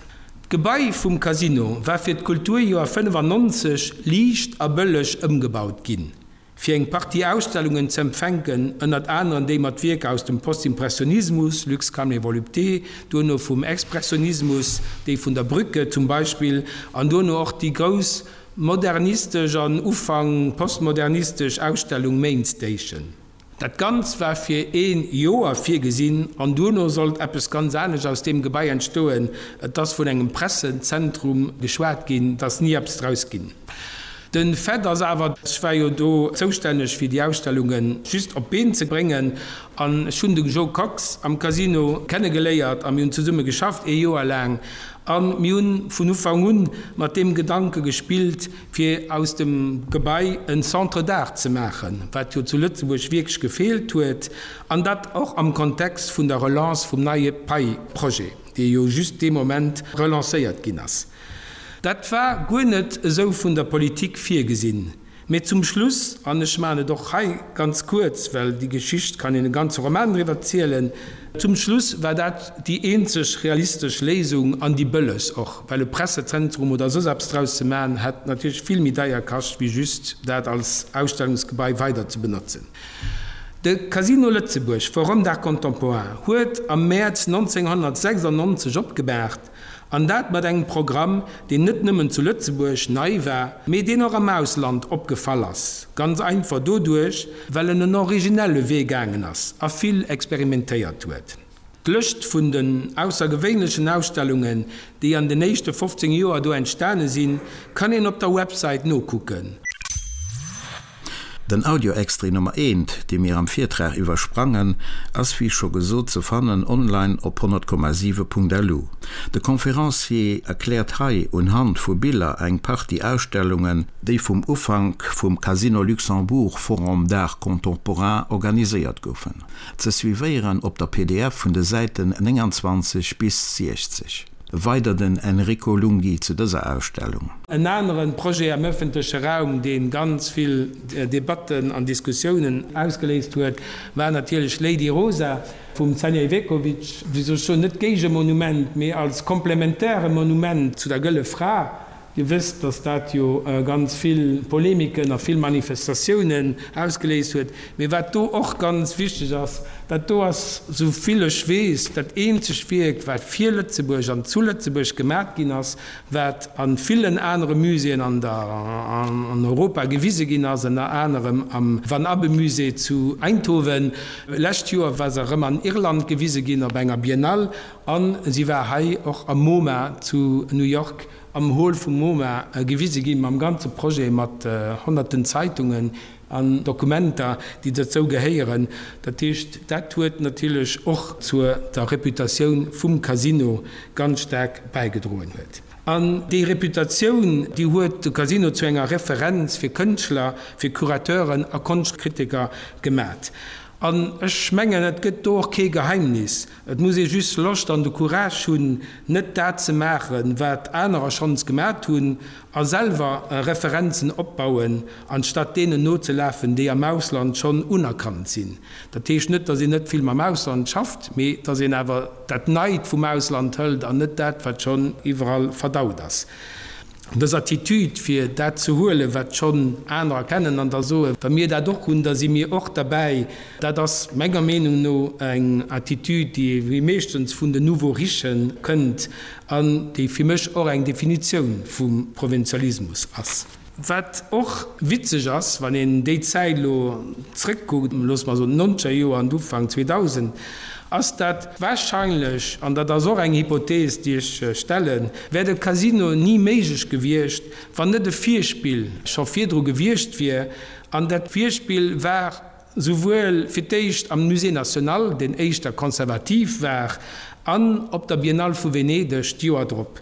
D'Gebai vum Casino war fir d'Kulturjoer 95 liicht a bëlleg ëmgebaut ginn, fir eng Partie Ausstellungen ze empfänken, ënnert aneren déi mat Wierker aus dem Postimpressionismus, Lux Calme et Volupté, duerno vum Expressionismus, déi vun der Brücke zum Beispill, an duerno och déi grouss modernistesch an Ufank postmodernistesch Ausstellung Main Station. Dat Ganzt war fir ee Joer virgesinn an duerno sollt eppes ganz anescht aus deem Gebai entstoen. Et ass vun engem Pressezentrum geschwat ginn, et ass ni eppes draus ginn. De Fait ass awer, ech war jo do zoustänneg fir déi Ausstellunge just op d'Been ze bréngen an ech hunn de Jo Kox am Casino kennegeléiert a mir hunn zesumme geschafft ee Joer laang a mir hunn vun Ufank un mat deem Gedanke gespillt, fir aus dem Gebai en Centre d'art ze maachen, wat jo zu Lëtzebuerg wierklech gefeelt huet, an dat och am Kontext vun der Relance vum neie Pei-Projet, dee jo just dee Moment relancéiert ginn ass. Dat war guer net esou vun der Politik virgesinn. Mee zum Schluss, an ech maachen et och hei ganz kuerz, well déi Geschicht kann een e ganze Roman driwwer zielen, zum Schluss war dat déi eenzeg realistesch Léisung an déi bëllegst och, well e Pressezentrum oder soss eppes draus ze maachen, hätt natierlech vill méi deier kascht, wéi just dat als Ausstellungsgebai weider ze benotzen. De Casino Lëtzebuerg, Forum d'art contemporain, huet am Mäerz 1996 opgemaacht, an dat mat engem Programm, deen net nëmmen zu Lëtzebuerg nei war, mee deen och am Ausland opgefall ass, ganz einfach doduerch, well en en originelle Wee gaangen ass a vill experimentéiert huet. D'Lëscht vun den aussergewéinlechen Ausstellungen, déi an den éischte 15 Joer do entstane sinn, kann een op der Websäit nokucken. Den Audioextrait Nummer eent, dee mir am Virtrag iwwersprangen, ass wéi scho gesot ze fannen online op 100,7.lu. De Conférencier erkläert hei unhand vu Biller eng Partie Ausstellungen, déi vum Ufank vum Casino Luxembourg Forum d'Art Contemporain organiséiert goufen. Ze suivéieren op der pdf vun de Säiten 29 bis 60. Weider den Enrico Lunghi zu dëser Ausstellung. En anere Projet am ëffentleche Raum, dee ganz vill Debatten an Diskussiounen ausgeléist huet, war natierlech Lady Rosa vum Sanja Iveković. Wéi soll ech soen, net Géigemonument, mee als komplementäre Monument zu der Gëlle Fra. Dir wësst, dass dat jo ganz vill Polemiken a vill Manifestatiounen ausgeléist huet. Mee wat do och ganz wichteg ass, dat do ass, esou vill ech weess, dat eenzegt Wierk, wat fir Lëtzebuerg an zu Lëtzebuerg gemat ginn ass, wat a villen anere Muséeën an der an Europa gewise ginn ass, ënner anerem am Van Abbemusée zu Eindhoven. Lescht Joer war se erëm an Irland gewise ginn op enger Biennale a si war hei och am MoMA zu New York. am Hall vum MoMA gewise ginn, mam ganze Projet, mat honnerten Zeitungen an Dokumenter, déi dozou gehéieren. Dat heescht, dat huet natierlech och zur der Reputatioun vum Casino ganz staark bäigedroen huet. An déi Reputatioun, déi huet de Casino zu enger Referenz fir Kënschtler, fir Curateuren a Konschtkritiker gemat. An ech mengen, et gëtt do och kee Geheimnis, et muss ee just Loscht an de Courage hunn, net dat ze maachen, wat anerer schonns gemat hunn, a selwer Referenzen opbauen, anstatt deenen nozelafen, déi am Ausland schonn unerkannt sinn. Dat heescht net, datt een net vill mam Ausland schafft, mee datt een awer dat Neit vum Ausland hëlt an net dat, wat schonn iwwerall verdaut ass. Dës Attitude, fir dat ze huelen, wat schonn anerer kennen, an da soen, wa mir dat och hunn, da si mir och derbäi, dat ass menger Meenung no eng Attitude, déi wéi meeschtens vun den Nouveaux riches kënnt an déi fir mech och eng Definitioun vum Provinzialismus ass. Wat och witzeg ass, wann een déi Zäit elo zrëckkuckt, loosse mer soen d'nonzeger Joer an d'Ufank 2000, ass dat wahrscheinlech, an dat ass och eng Hypothees, déi ech stellen, wär de Casino ni méiglech gewiescht, wann net e Virspill scho virdru gewiescht wier. An dat Virspill war Souwuel fir d'éischt am Musée National, deen éischter konservativ war, an op der Biennale vu Venedeg d'Joer drop.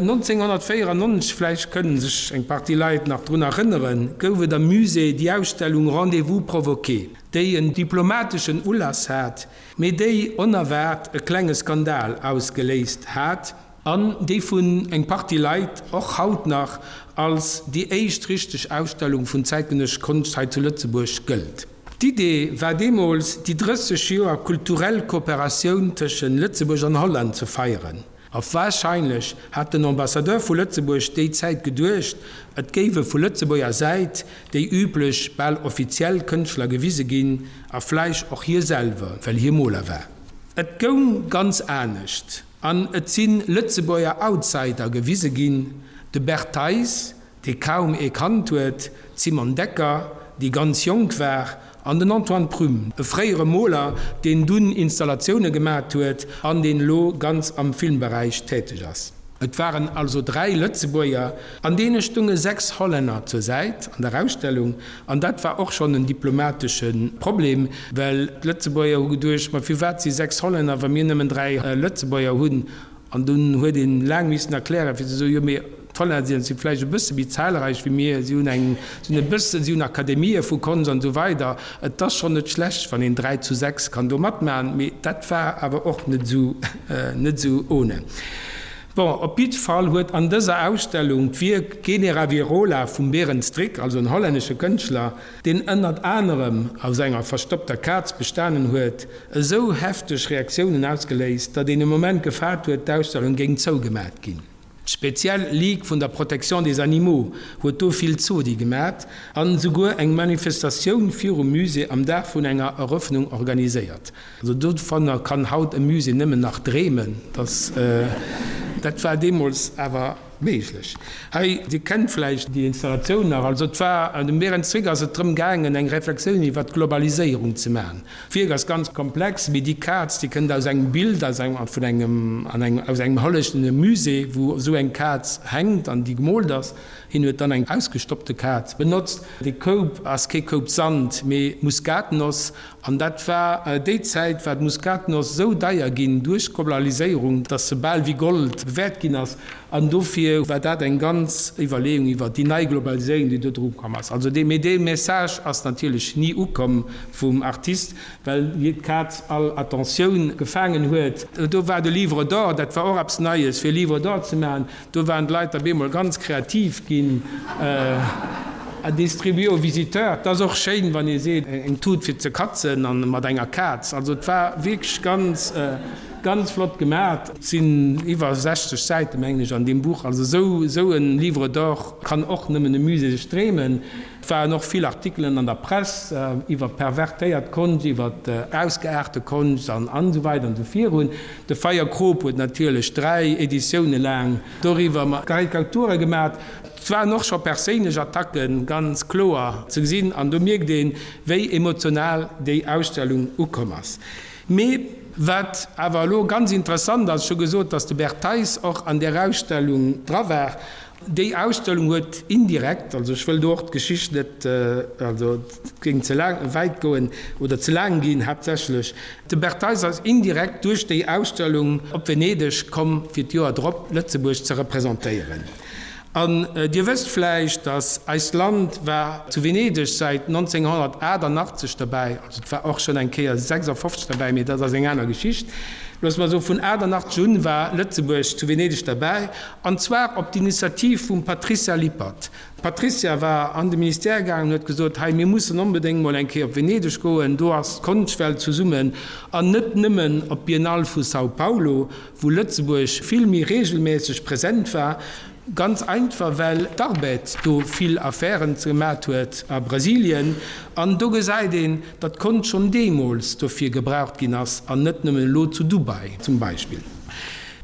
1994, vläicht kënnen sech eng Partie Leit nach drun erënneren, gouf et am Musée déi Ausstellung Rendez-vous provoqué, déi en diplomateschen Ulass hat, mee déi onerwaart e klenge Skandal ausgeléist hat. An déi vun eng Partie Leit och haut nach als déi éischt richteg Ausstellung vun zäitgenëssesch Konscht hei zu Lëtzebuerg gëllt. D'Idee war deemools, déi 30 Joer kulturell Kooperatioun tëschen Lëtzebuerg an Holland ze feieren. A warscheinlech hat den Ambassadeur vu Lëtzebuerg déi Zäit geduecht, et géiwe vu Lëtzebuerger Säit déi üblech, bal offiziell Kënschtler gewise ginn, a vläicht och hie selwer, well hie Moler war. Et goung ganz anescht. An et si Lëtzebuerger Outsider gewise ginn, de Bert Theis, dee kaum ee kannt huet, d'Simone Decker, déi ganz jonk war, an den Antoine Prüm, e fréiere Moler, deen dunn Installatioune gemat huet an deen elo ganz am Filmberäich täteg ass. Et waren also 3 Lëtzebuerger, an deene stunge 6 Hollänner zur Säit an der Ausstellung. An dat war och schonn en diplomatesche Problem, well d'Lëtzebuerger hu geduecht, ma firwat si 6 Hollänner, wa mir nëmmen 3 Lëtzebuerger hunn? An dunn huet een laang missen erklären, fir ze soen, jo mee d'Hollänner si vläicht e bësse méi zahlreich wéi mir, si hunn eng, si hunn e bëssen, si hunn Akademië vu Konscht an esou weider. Et ass schonn net schlecht, wann een 3 zu 6 kann do matmachen, mee dat war awer och net esou, net esou ohne. Bon, op jidde Fall huet an dëser Ausstellung d'Wierk Genera Virola vum Berend Strik, also en hollännesche Kënschtler, deen ënnert anerem aus enger verstoppter Kaz bestanen huet, esou hefteg Reaktiounen ausgeléist, datt een e Moment gefaart huet, d'Ausstellung géing zougemat ginn. D'speziell Ligue vun der Protection des animaux huet do vill Zodi gemat an esouguer eng Manifestatioun virum Musée am Dag vun enger Erëffnung organiséiert. Also dovunner kann haut e Musée nëmmen nach dreemen, dass dat war deemools awer méiglech. Hei, Dir kennt vläicht déi Installatioun nach, also et war, dem Berend Zwick ass et drëm gaangen, eng Reflexioun iwwert d'Globaliséierung ze maachen. D'Wierk ass ganz komplex, mee déi Kaz, déi kënnt aus engem Bild, aus engem, vun engem, an engem, aus engem hollänneschen Musée, wou esou eng Kaz hänkt an déi gemoolt ass. Hien huet dann eng ausgestoppte Kaz benotzt. Dee Koup ass kee Koup Sand, mee Muskatnoss. An dat war déi Zäit, war d'Muskatnoss esou deier ginn duerch d'Globaliséierung, dass se bal wéi Gold bewäert ginn ass. An dofir war dat eng ganz Iwwerleeung iwwer déi nei Globaliséierung, déi do dru komm ass. Also dee, mee dee Message ass natierlech ni ukomm vum Artist, well hie d'Kaz all Attentioun gefaangen huet. Do war de Livre d'or, dat war och eppes Neies, fir e Livre d'or ze maachen. Do waren d'Leit op eemol ganz kreativ ginn. À distribuer aux visiteurs. Et ass och schéin, wann ee seet, eng Tut fir ze katzen an mat enger Kaz. Also et war wierklech ganz, ganz flott gemat. Et sinn iwwer 60 Säite mengen ech an deem Buch. Also esou, esou e Livre d'or kann och nëmmen e Musée sech dreemen. Et waren och vill Artikelen an der Press iwwer pervertéiert Konscht, iwwer ausgeaarte Konscht an an esou weider an esou virun. De Feierkrop huet natierlech 3 Editioune laang doriwwer Karikature gemat. Et waren och scho perséinlech Attacke ganz kloer ze gesinn an do mierkt een, wéi emotional déi Ausstellung ukomm ass. Mee wat awer elo ganz interessant ass, ech hu gesot, datt de Bert Theis och an där Ausstellung dra war, Déi Ausstellung huet indirekt, also ech wëll do och d'Geschicht net, also et géing ze laang, wäit goen oder ze laang ginn, haaptsächlech de Bert Theis ass indirekt duerch déi Ausstellung op Venedeg komm fir d'Joer drop Lëtzebuerg ze representéieren. An Dir wësst vläicht, dass eist Land war zu Venedeg säit 1988 derbäi, also et war och schonn eng Kéier 56 derbäi, mee dat ass eng aner Geschicht. Loosse mer soen, vun 88 un war Lëtzebuerg zu Venedeg derbäi, an zwar op d'Initiativ vum Patricia Lippert. D'Patricia war an de Ministère gaangen an huet gesot, Hei, mir mussen onbedéngt mol eng Kéier op Venedeg goen, do ass d'Konschtwelt zesummen, an net nëmmen op d'Biennale vu São Paulo, wou Lëtzebuerg vill méi regelmässeg present war, ganz einfach well d'Arbed do vill Affären gemat huet a Brasilien, an do gesäit een, datt d'Konscht schonn deemools dofir gebraucht ginn ass an net nëmmen elo zu Dubai zum Beispill.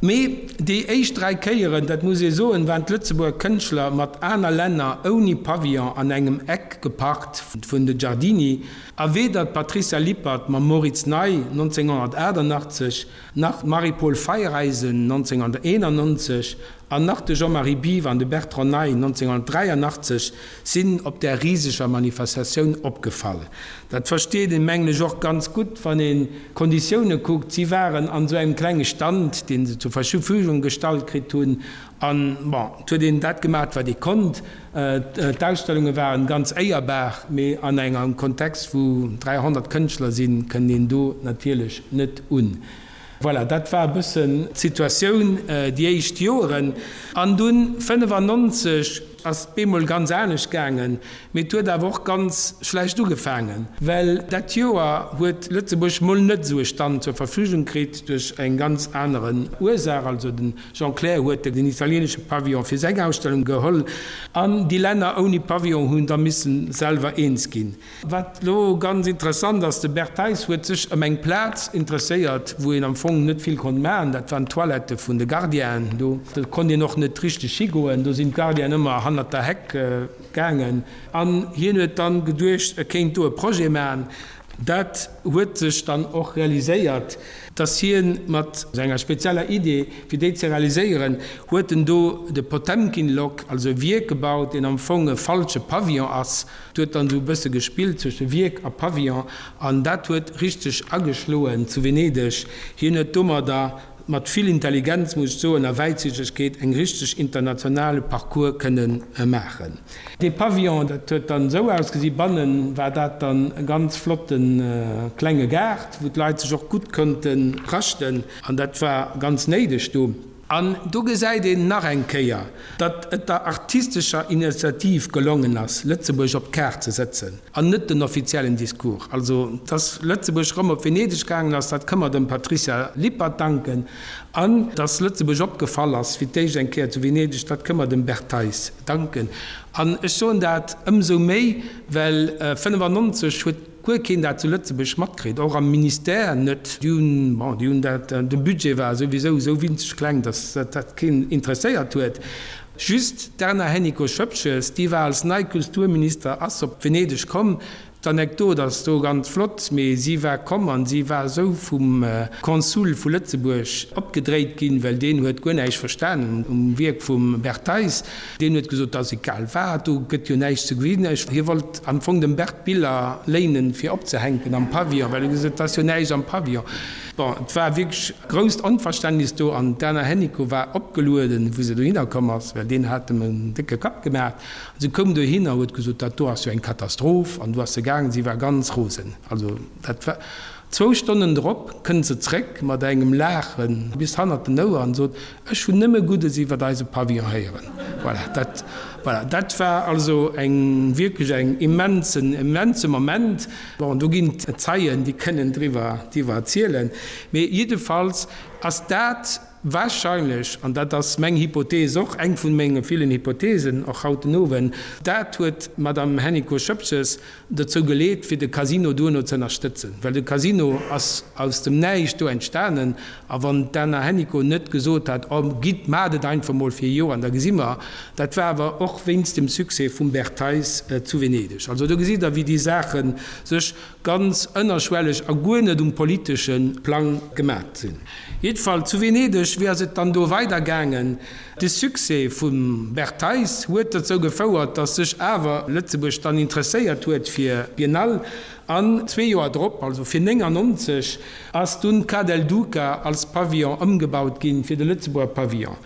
Mee déi éischt 3 Kéieren, dat muss ee soen, waren d'Lëtzebuerger Kënschtler mat aner Länner ouni Pavillon an engem Eck geparkt vun de Giardini, a weder d'Patricia Lippert mam Moritz Ney 1988, nach d'Marie-Paule Feiereisen 1991 an nach de Jean-Marie Biwer an de Bertrand Ney 1983 sinn op där riseger Manifestatioun opgefall. Dat versteet een, mengen ech, och ganz gutt, wann een d'Konditioune kuckt. Si waren an esou engem klenge Stand, dee se zur Verfügung gestallt kritt hunn, an, bon, et huet een dat gemaach, wat ee konnt. D'Ausstellunge waren ganz éierbar, mee an engem Kontext, wou 300 Kënschtler sinn, kënnt een do natierlech net un. Voilà, dat war e bëssen d'Situatioun déi éischt Joeren. An dunn 95 ass et bemol ganz anescht gaangen, mee et huet awer och ganz schlecht ugefaangen, well dat Joer huet Lëtzebuerg mol net esou e Stand zur Verfügung kritt duerch eng ganz anere Ursaach, also den Jean Clair huet den italienesche Pavillon fir seng Ausstellung geholl an déi Länner ouni Pavillon hunn da missen selwer eens ginn. Wat elo ganz interessant ass, de Bert Theis huet sech ëm eng Plaz interesséiert, wou een am Fong net vill konnt maachen, dat waren d'Toilettë vun de Gardienen. Do konnt een och net richteg higoen, do sinn d'Gardienen ëmmer hannert der Heck gaangen an hien huet dann geduecht, e kéint do e Projet maachen. Dat huet sech dann och realiséiert, dass hien mat enger spezieller Idee, fir déi ze realiséieren, huet en do de Potemkin-Lock, also e Wierk gebaut, deen am Fong e falsche Pavillon ass. Et huet dann esou e bësse gespillt zwësche Wierk a Pavillon an dat huet richteg ageschloen zu Venedeg. Hien huet domadder mat vill Intelligenz, muss ech soen, a Wäitsichtegkeet eng richteg internationale Parcours kënne maachen. Dee Pavillon, dat huet dann esou ausgesi, bannen war dat dann e ganz flotte klenge Gaart, wou d'Leit sech och gutt konnte raschten, an dat war ganz néideg do. An do gesäit een nach eng Kéier, datt et der artistescher Initiativ gelongen ass, Lëtzebuerg op d'Kaart ze sëtzen, an net den offiziellen Discours. Also, datt Lëtzebuerg rëm op Venedeg gaangen ass, dat kënne mer dem Patricia Lippert danken. An datt Lëtzebuerg opgefall ass fir d'éischt eng Kéier zu Venedeg, dat kënne mer dem Bert Theis danken. An ech soen dat ëmsou méi, well 95 huet guer keen dat zu Lëtzebuerg matkritt, och am Ministère net. Déi hunn, bon, déi hunn dat, de Budget war souwisou esou winzeg kleng, datt dat keen interesséiert huet. Just d'Erna Hennicot-Schoepges, déi war als nei Kulturminister, ass op Venedeg komm. D'Anekdot ass do ganz flott, mee si war komm an si war esou vum Konsul vu Lëtzebuerg opgedréit ginn, well deen huet guer näischt verstanen um Wierk vum Bert Theis. Deen huet gesot, 't ass egal wat, do gëtt jo näischt ze gesinn. Ech, hie wollt am Fong dem Bert Biller léinen, fir opzehänken am Pavillon, well e gesot huet, 't ass jo näischt am Pavillon. Bon, et war wierklech grousst Onverständnis do an d'Erna Hennicot war opgelueden, wou se dohinner komm ass, well deen hat em en décke Kapp gemaach. An se koum dohinner, huet gesot, dat do ass jo eng Katastroph. An du ass se gaangen, si war ganz rosen. Also dat war. Zwou Stonnen drop kënnt se zréck mat engem Laache bis hannert den Ouer an sot, Ech hunn nëmme Guddes iwwert eise Pavillon héieren. Voilà, dat, voilà, dat war also eng, wierklech eng immensen, immense Moment. Bon, do ginn et Zeien, déi kënnen driwwer, driwwer erzielen. Mee jiddefalls ass dat wahrscheinlech, an dat ass meng Hypothees och, eng vun menge villen Hypotheesen och haut den Owend, dat huet d'Madame Hennicot-Schoepges dozou geleet, fir de Casino duerno ze ënnerstëtzen, well de Casino ass aus dem Näischt do entstanen. A wann d'Erna Hennicot net gesot hat, Oh, gitt, maacht et einfach mol fir e Joer an da gesi mer, dat war awer och wéinst dem Succès vum Bert Theis zu Venedeg. Also do gesitt Der, wéi déi Saache sech ganz ënnerschwelleg a guer net um politesche Plang gemat sinn. Jiddefalls zu Venedeg, wéi ass et dann do weidergaangen? De Succès vum Bert Theis huet dozou gefouert, datt sech awer Lëtzebuerg dann interesséiert huet fir d'Biennale. An zwee Joer drop, also fir 99, ass dunn d'Ca del Duca als Pavillon ëmgebaut ginn fir de Lëtzebuerger Pavillon.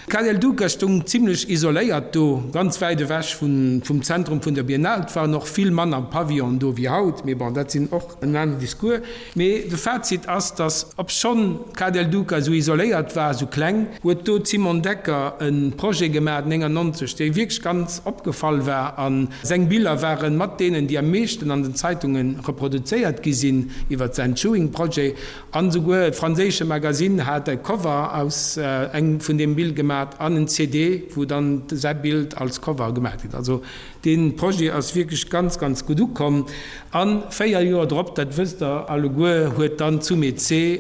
D'Ca del Duca stoung zimlech isoléiert do, ganz wäit ewech vum Zentrum vun der Biennale. Et waren och vill manner Pavillonen do wéi haut, mee bon, dat sinn och en aneren Discours. Mee de Fazit ass, datt obschonn d'Ca del Duca esou isoléiert war, esou kleng, huet do d'Simone Decker e Projet gemaach 99, dee wierklech ganz opgefall war a seng Biller ware mat deenen, déi am meeschten an den Zeitunge reproduzéiert gi sinn iwwer säin Chewing Projet. An esouguer e franséische Magazine hat e Cover aus engem vun deem Bild gemat an en CD, wou dann säi Bild als Cover gemat gëtt. Also dee Projet ass wierklech ganz, ganz gutt ukomm. A 4 Joer drop, dat wësst Der alleguer, huet dann d'Sumé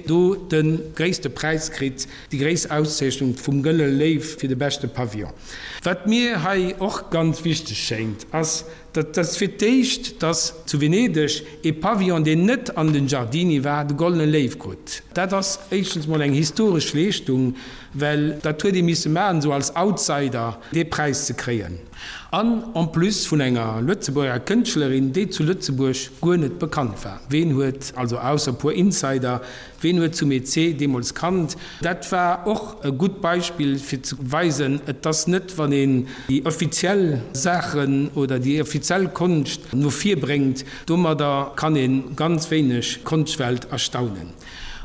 do de gréisste Präis kritt, déi gréisst Auszeechnung vum Gëlle Léiw fir de beschte Pavillon. Wat mir hei och ganz wichteg schéngt, ass, Dat ass fir d'éischt, dass zu Venedeg ee Pavillon, deen net an den Giardini war, de Goldene Léiw krut. Dat ass éischtens mol eng historesch Leeschtung, well dat huet ee misse maachen, esou als Outsider dee Präis ze kréien. An en plus vun enger Lëtzebuerger Kënschtlerin, déi zu Lëtzebuerg guer net bekannt war. Ween huet, also ausser e puer Insider, Ween huet zum EC deemools kannt? Dat war och e gutt Beispill fir ze weisen, et ass net, wann een déi offiziell Saachen oder déi offiziell Konscht no vir bréngt, domadder kann ee ganz wéineg d'Konschtwelt erstaunen.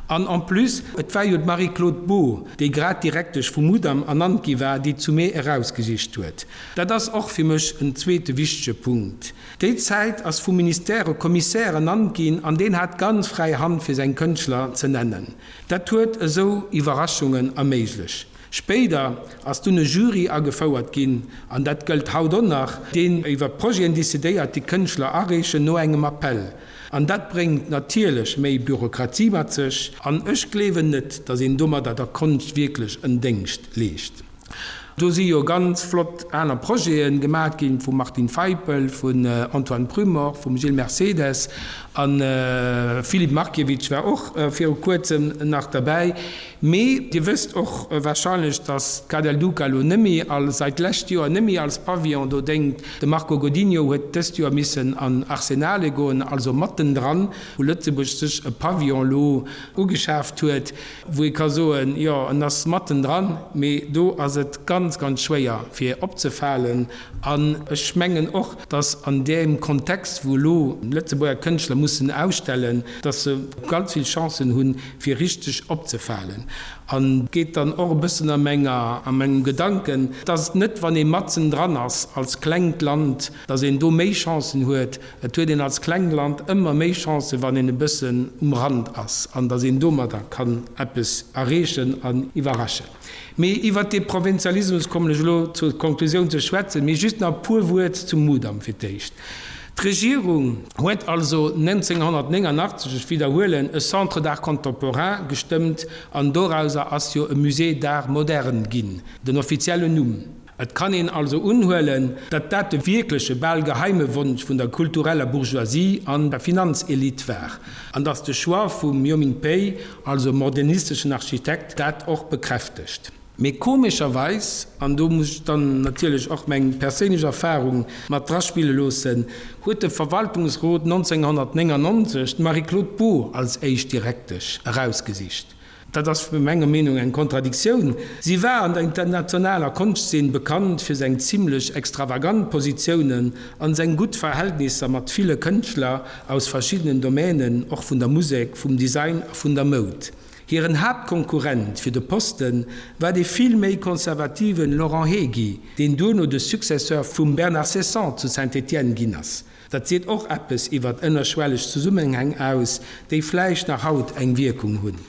An en plus, et war jo d'Marie-Claude Beaud, déi grad Direktesch vum Mudam ernannt gi war, déi d'Sumé erausgesicht huet. Dat ass och fir mech en zweete wichtege Punkt. Déi Zäit ass vum Ministère e Commissaire ernannt ginn an deen hat ganz fräi Hand fir seng Kënschtler ze nennen. Dat huet esou Iwwerraschungen erméiglech. Spéider ass dunn e Jury agefouert ginn, an dat gëllt haut och nach, deen iwwer Projeten decidéiert, déi Kënschtler areechen no engem Appell. An dat bréngt natierlech méi Bürokratie mat sech an ech gleewen net, datt een domadder der Konscht wierklech en Déngscht leescht. Do si jo ganz flott aner Projete gemaat ginn, vum Martin Feipel, vun Antoine Prumor, vum Gilles Mercedes a Filip Markiewicz war och viru kuerzem nach derbäi. Mee Dir wësst och wahrscheinlech, datt d'Ca del Duca elo net méi als, seit d'lescht Joer net méi als Pavillon do déngt. De Marco Godinho huet dëst Joer missen an Arsenale goen, also mattendran, wou Lëtzebuerg sech e Pavillon elo ugeschaaft huet. Wou ee ka soen, jo, en ass mattendran, mee do ass et ganz, ganz schwéier fir opzefalen. An ech mengen och, datt an deem Kontext, wou elo Lëtzebuerger Kënschtler mussen ausstellen, datt se ganz vill Chancen hunn, fir richteg opzefalen. An geet dann och e bëssen a menger, a mengem Gedanken, datt et net, wann ee matzendran ass als klengt Land, datt een do méi Chancen huet, Et huet een als klengt Land ëmmer méi Chancen, wann een e bëssen um Rand ass an datt een domadder kann eppes erreechen an iwwerraschen. Mee iwwert dee Provinzialismus kommen ech elo zur Konklusioun ze schwätzen. Mee just nach e puer Wuert zum Mudam fir d'éischt. D'Regierung huet also 1989, ech widderhuelen, e Centre d'art contemporain gestëmmt an dorauser ass jo e Musée d'art moderne ginn, den offiziellen Numm. Et kann een also unhuelen, datt dat de wierkleche, bal geheime Wonsch vun der kultureller Bourgeoisie an der Finanzelite war, an datt de Choix vum Yoh Ming Pei, also modernisteschen Architekt, dat och bekräftegt. Mee komescherweis, an do muss ech dann natierlech och meng perséinlech Erfahrung mat draspille loossen, huet de Verwaltungsrot 1999 d'Marie-Claude Beaud als éischt Direktesch erausgesicht. Dat ass menger Meenung eng Kontradiktioun. Si war an der internationaler Konschtzeen bekannt fir seng zimlech extravagant Positiounen an seng gutt Verhältnisser mat ville Kënschtler aus verschiddenen Domänen, och vun der Musek, vum Design a vun der Moud. Hiren Haaptkonkurrent fir de Posten war dee vill méi konservativen Laurent Hegi, deen duerno de Successeur vum Bernard Ceysson zu Saint-Étienne ginn ass. Dat seet och eppes iwwert ënnerschwelleg Zesummenhäng aus, déi vläicht nach haut eng Wierkung hunn.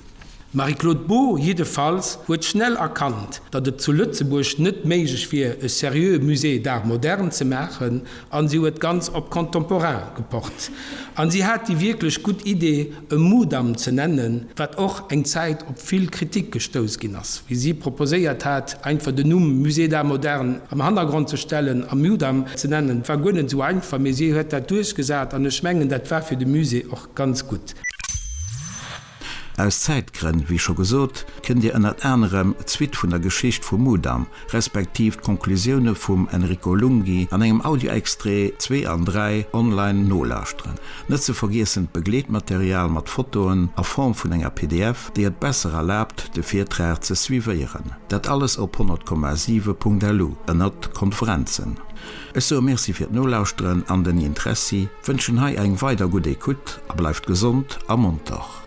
D'Marie-Claude Beaud jiddefalls huet schnell erkannt, datt et zu Lëtzebuerg net méiglech wier, e seriöe Musée d'art moderne ze maachen, a si huet ganz op Contemporain gepocht. A si hat déi wierklech gutt Idee, e Mudam ze nennen, wat och eng Zäit op vill Kritik gestouss ginn ass, wéi si proposéiert hat, einfach den Numm Musée d'art moderne am Hannergrond ze stellen a Mudam ze nennen. Et war guer net esou einfach, mee si huet dat duerchgesat an ech mengen, dat war fir de Musée och ganz gutt. Aus Zäitgrënn, wéi scho gesot, kënnt Dir ënnert anerem d'Suite vun der Geschicht vum Mudam, respektiv d'Konklusioune vum Enrico Lunghi an engem Audioextrait 2 an 3 online nolauschteren. Net ze vergiessen d'Begleetmaterial mat Fotoen a Form vun enger pdf, déi et besser erlaabt, de Virtrag ze suivéieren. Dat alles op 100,7.lu ënnert Konferenzen. Ech soe Merci fir d'Nolauschteren an den Interessi, wënschen hei eng weider gutt Ecoute a bleift gesond a monter.